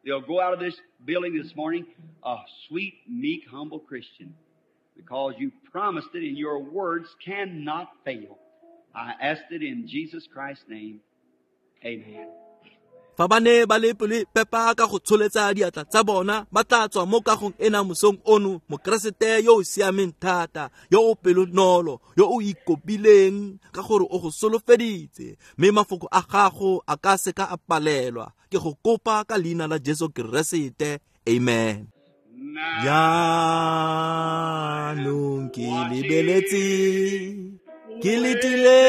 B: They'll go out of this building this morning a sweet, meek, humble Christian, because you promised it and your words cannot fail. I asked it in Jesus Christ's name. Amen.
A: Fa ba ne ba le pelo pepa ka go tsholetsa diatla tsa bona, ba tla tswa mo kagong ena mosong ono Mokeresete yo o siameng thata, yo o pelonolo, yo o ikopileng, ka gore o go solofeditse, mme mafoko a gago a ka se ka a palelwa. Ke go kopa ka leina la Jesu Keresete. Amen. Jaanong ke lebeletse, ke letile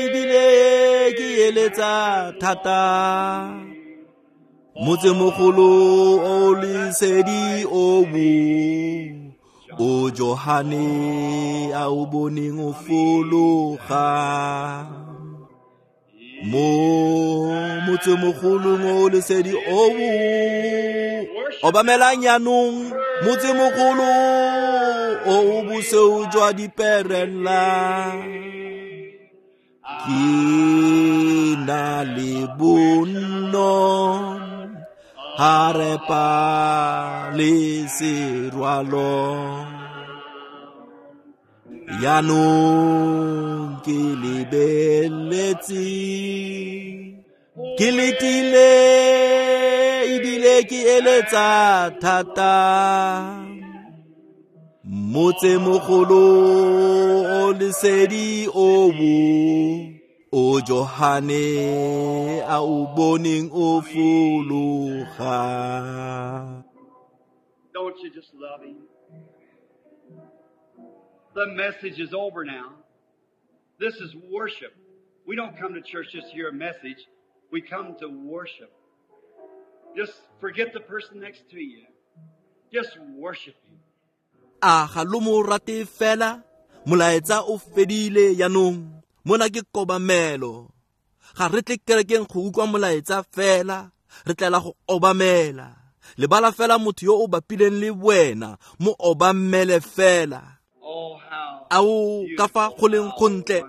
A: ebile ke eletsa thata. Motsemogolo o lesedi o bo o Johane a o boneng o fologa. Mo motsemogolong o lesedi o bo obamelang jaanong, motsemogolo o o bosweu jwa diperela. Ke na le bonno, harepa le serwalo. Jaanong ke lebeletse, ke letile ebile ke eletsa thata. Motsemogolo o lesedi o bo o Johane a o boneng o fologa.
B: Don't you just love him? The message is over now. This is worship. We don't come to church just to hear a message. We come to worship. Just forget the person next to you. Just worship him.
A: A ga lo mo rate fela, molaetsa o fedile jaanong. Mona ke kobamelo. Ga re tle kerekeng go utlwa molaetsa fela, re tlela go obamela. Lebala fela motho yo o bapileng le wena, mo obamele fela. Ao ka fa go leng gontle,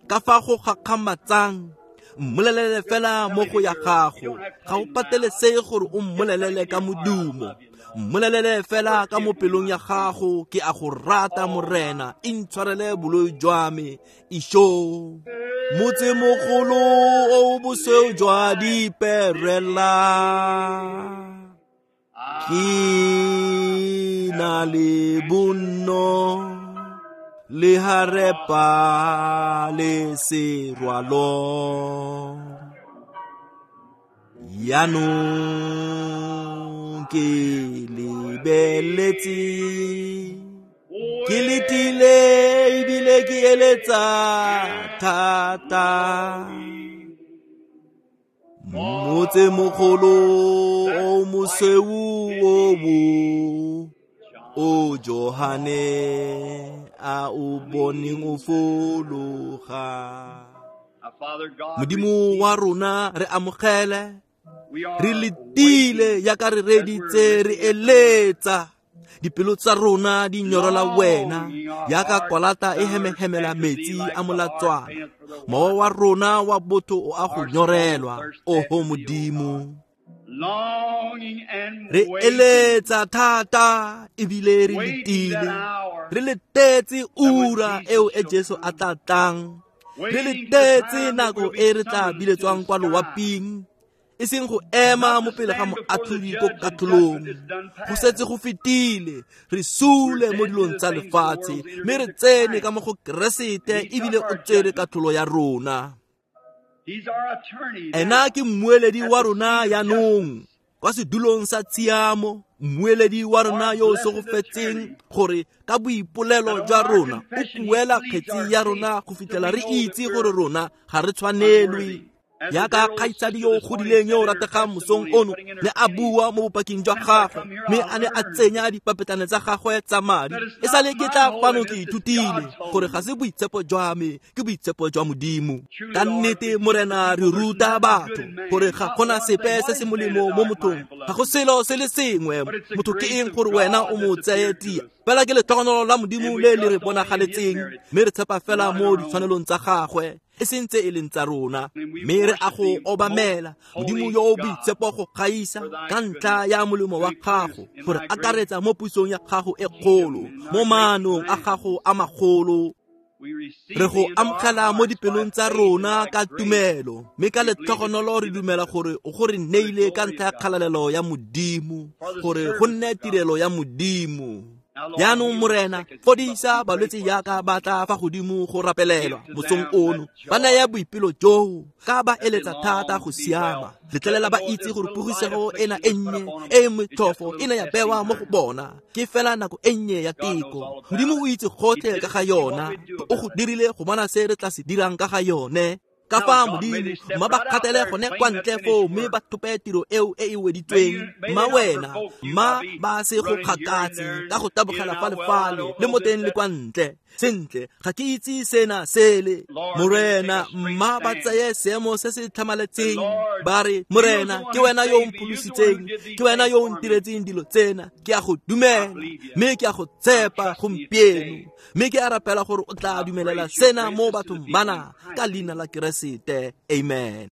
A: ka fa go gakgamatsang. Mmolelele fela mo go ya gago. Ga o patelesege gore o mmolelele ka modumo. Mmolelele fela ka mo pelong ya gago, ke a go rata Morena, intshwarele boloi jwa me. Isho motsemogolo o bosweu jwa diperela. Ke na le bonno, le harepa le serwalo. Jaanong ke lebeletse, ke letile ebile ke eletsa thata. Motsemogolo o mosweu o bo o Johane a o boneng o fologa. Modimo wa rona re amogele, re letile jaaka re reditse, re eletsa. Dipelo tsa rona di nyorola wena jaaka kwalata e hemehemela metsi a molatswana. Mowa wa rona wa botho o a go nyorelwa, oho Modimo. Re eletsa thata ebile re letile, re letetse ura eo e Jesu a tla tlang. Re letetse nako e re tla biletswang kwa loaping, e seng go ema mo pele ga moatlhodi ko katlholong. Go setse go fetile, re sule mo dilong tsa lefatshe, mme re tsene ka mo go Keresete ebile o tsere katlholo ya rona. Ena ke mmueledi wa rona jaanong kwa sedulong sa tshiamo, mmueledi wa rona yo o segofetseng gore ka boipolelo jwa rona o kuela kgetsi ya rona go fitlhela re itse gore rona ga re tshwanelwe. Jaaka kgaitsadi yo o godileng yo o rategang mosong ono ne a bua mo bopaking jwa gagwe, mme a ne a tsenya dipapetlana tsa gagwe tsa madi. E sale ke tla fano ke ithutile gore ga se boitshepo jwa me, ke boitshepo jwa Modimo. Ka nnete Morena, re ruta batho gore ga gona sepe se se molemo mo mothong, ga go selo se le sengwe. Motho ke eng gore wena o mo tseye tia? Fela ke letlhogonolo la Modimo le le re bonagaletseng, mme re tshepa fela mo ditshwanelong tsa gagwe, e seng tse e leng tsa rona. Mme re a go obamela Modimo yo o boitshepo go gaisa ka ntlha ya molemo wa gago, gore akaretsa mo pusong ya gago e kgolo, mo maanong a gago a magolo. Re go amogela mo dipelong tsa rona ka tumelo, mme ka letlhogonolo re dumela gore o go re neile ka ntlha ya kgalalelo ya Modimo, gore go nne tirelo ya Modimo. Jaanong Morena, fodisa balwetse jaaka ba tla fa godimo go rapelelwa mosong ono. Ba naya boipelo joo ka ba eletsa thata go siama. Letlelela ba itse gore pogisego ena e nnye e e motlhofo e ne ya bewa mo go bona, ke fela nako e nnye ya teko. Modimo o itse gotlhe ka ga yona, o go dirile go bona se re tla se dirang ka ga yone. Ka fa Modimo, mma ba kgathele gone kwa ntle foo mme ba thope tiro eo e e weditsweng. Mma wena, mma ba se go kgakatse ka go tabogela fa le fale le mo teng le kwa ntle. Sentle, ga ke itse sena sele. Morena, mma ba tseye seemo se se tlhamaletseng. Ba re, Morena, ke wena yo o mpholositseng, ke wena yo o ntiretseng dilo tsena. Ke a go dumela, mme ke a go tshepa gompieno. Mme ke a rapela gore o tla dumelela sena mo bathong bana ka leina la Keresete. Amen.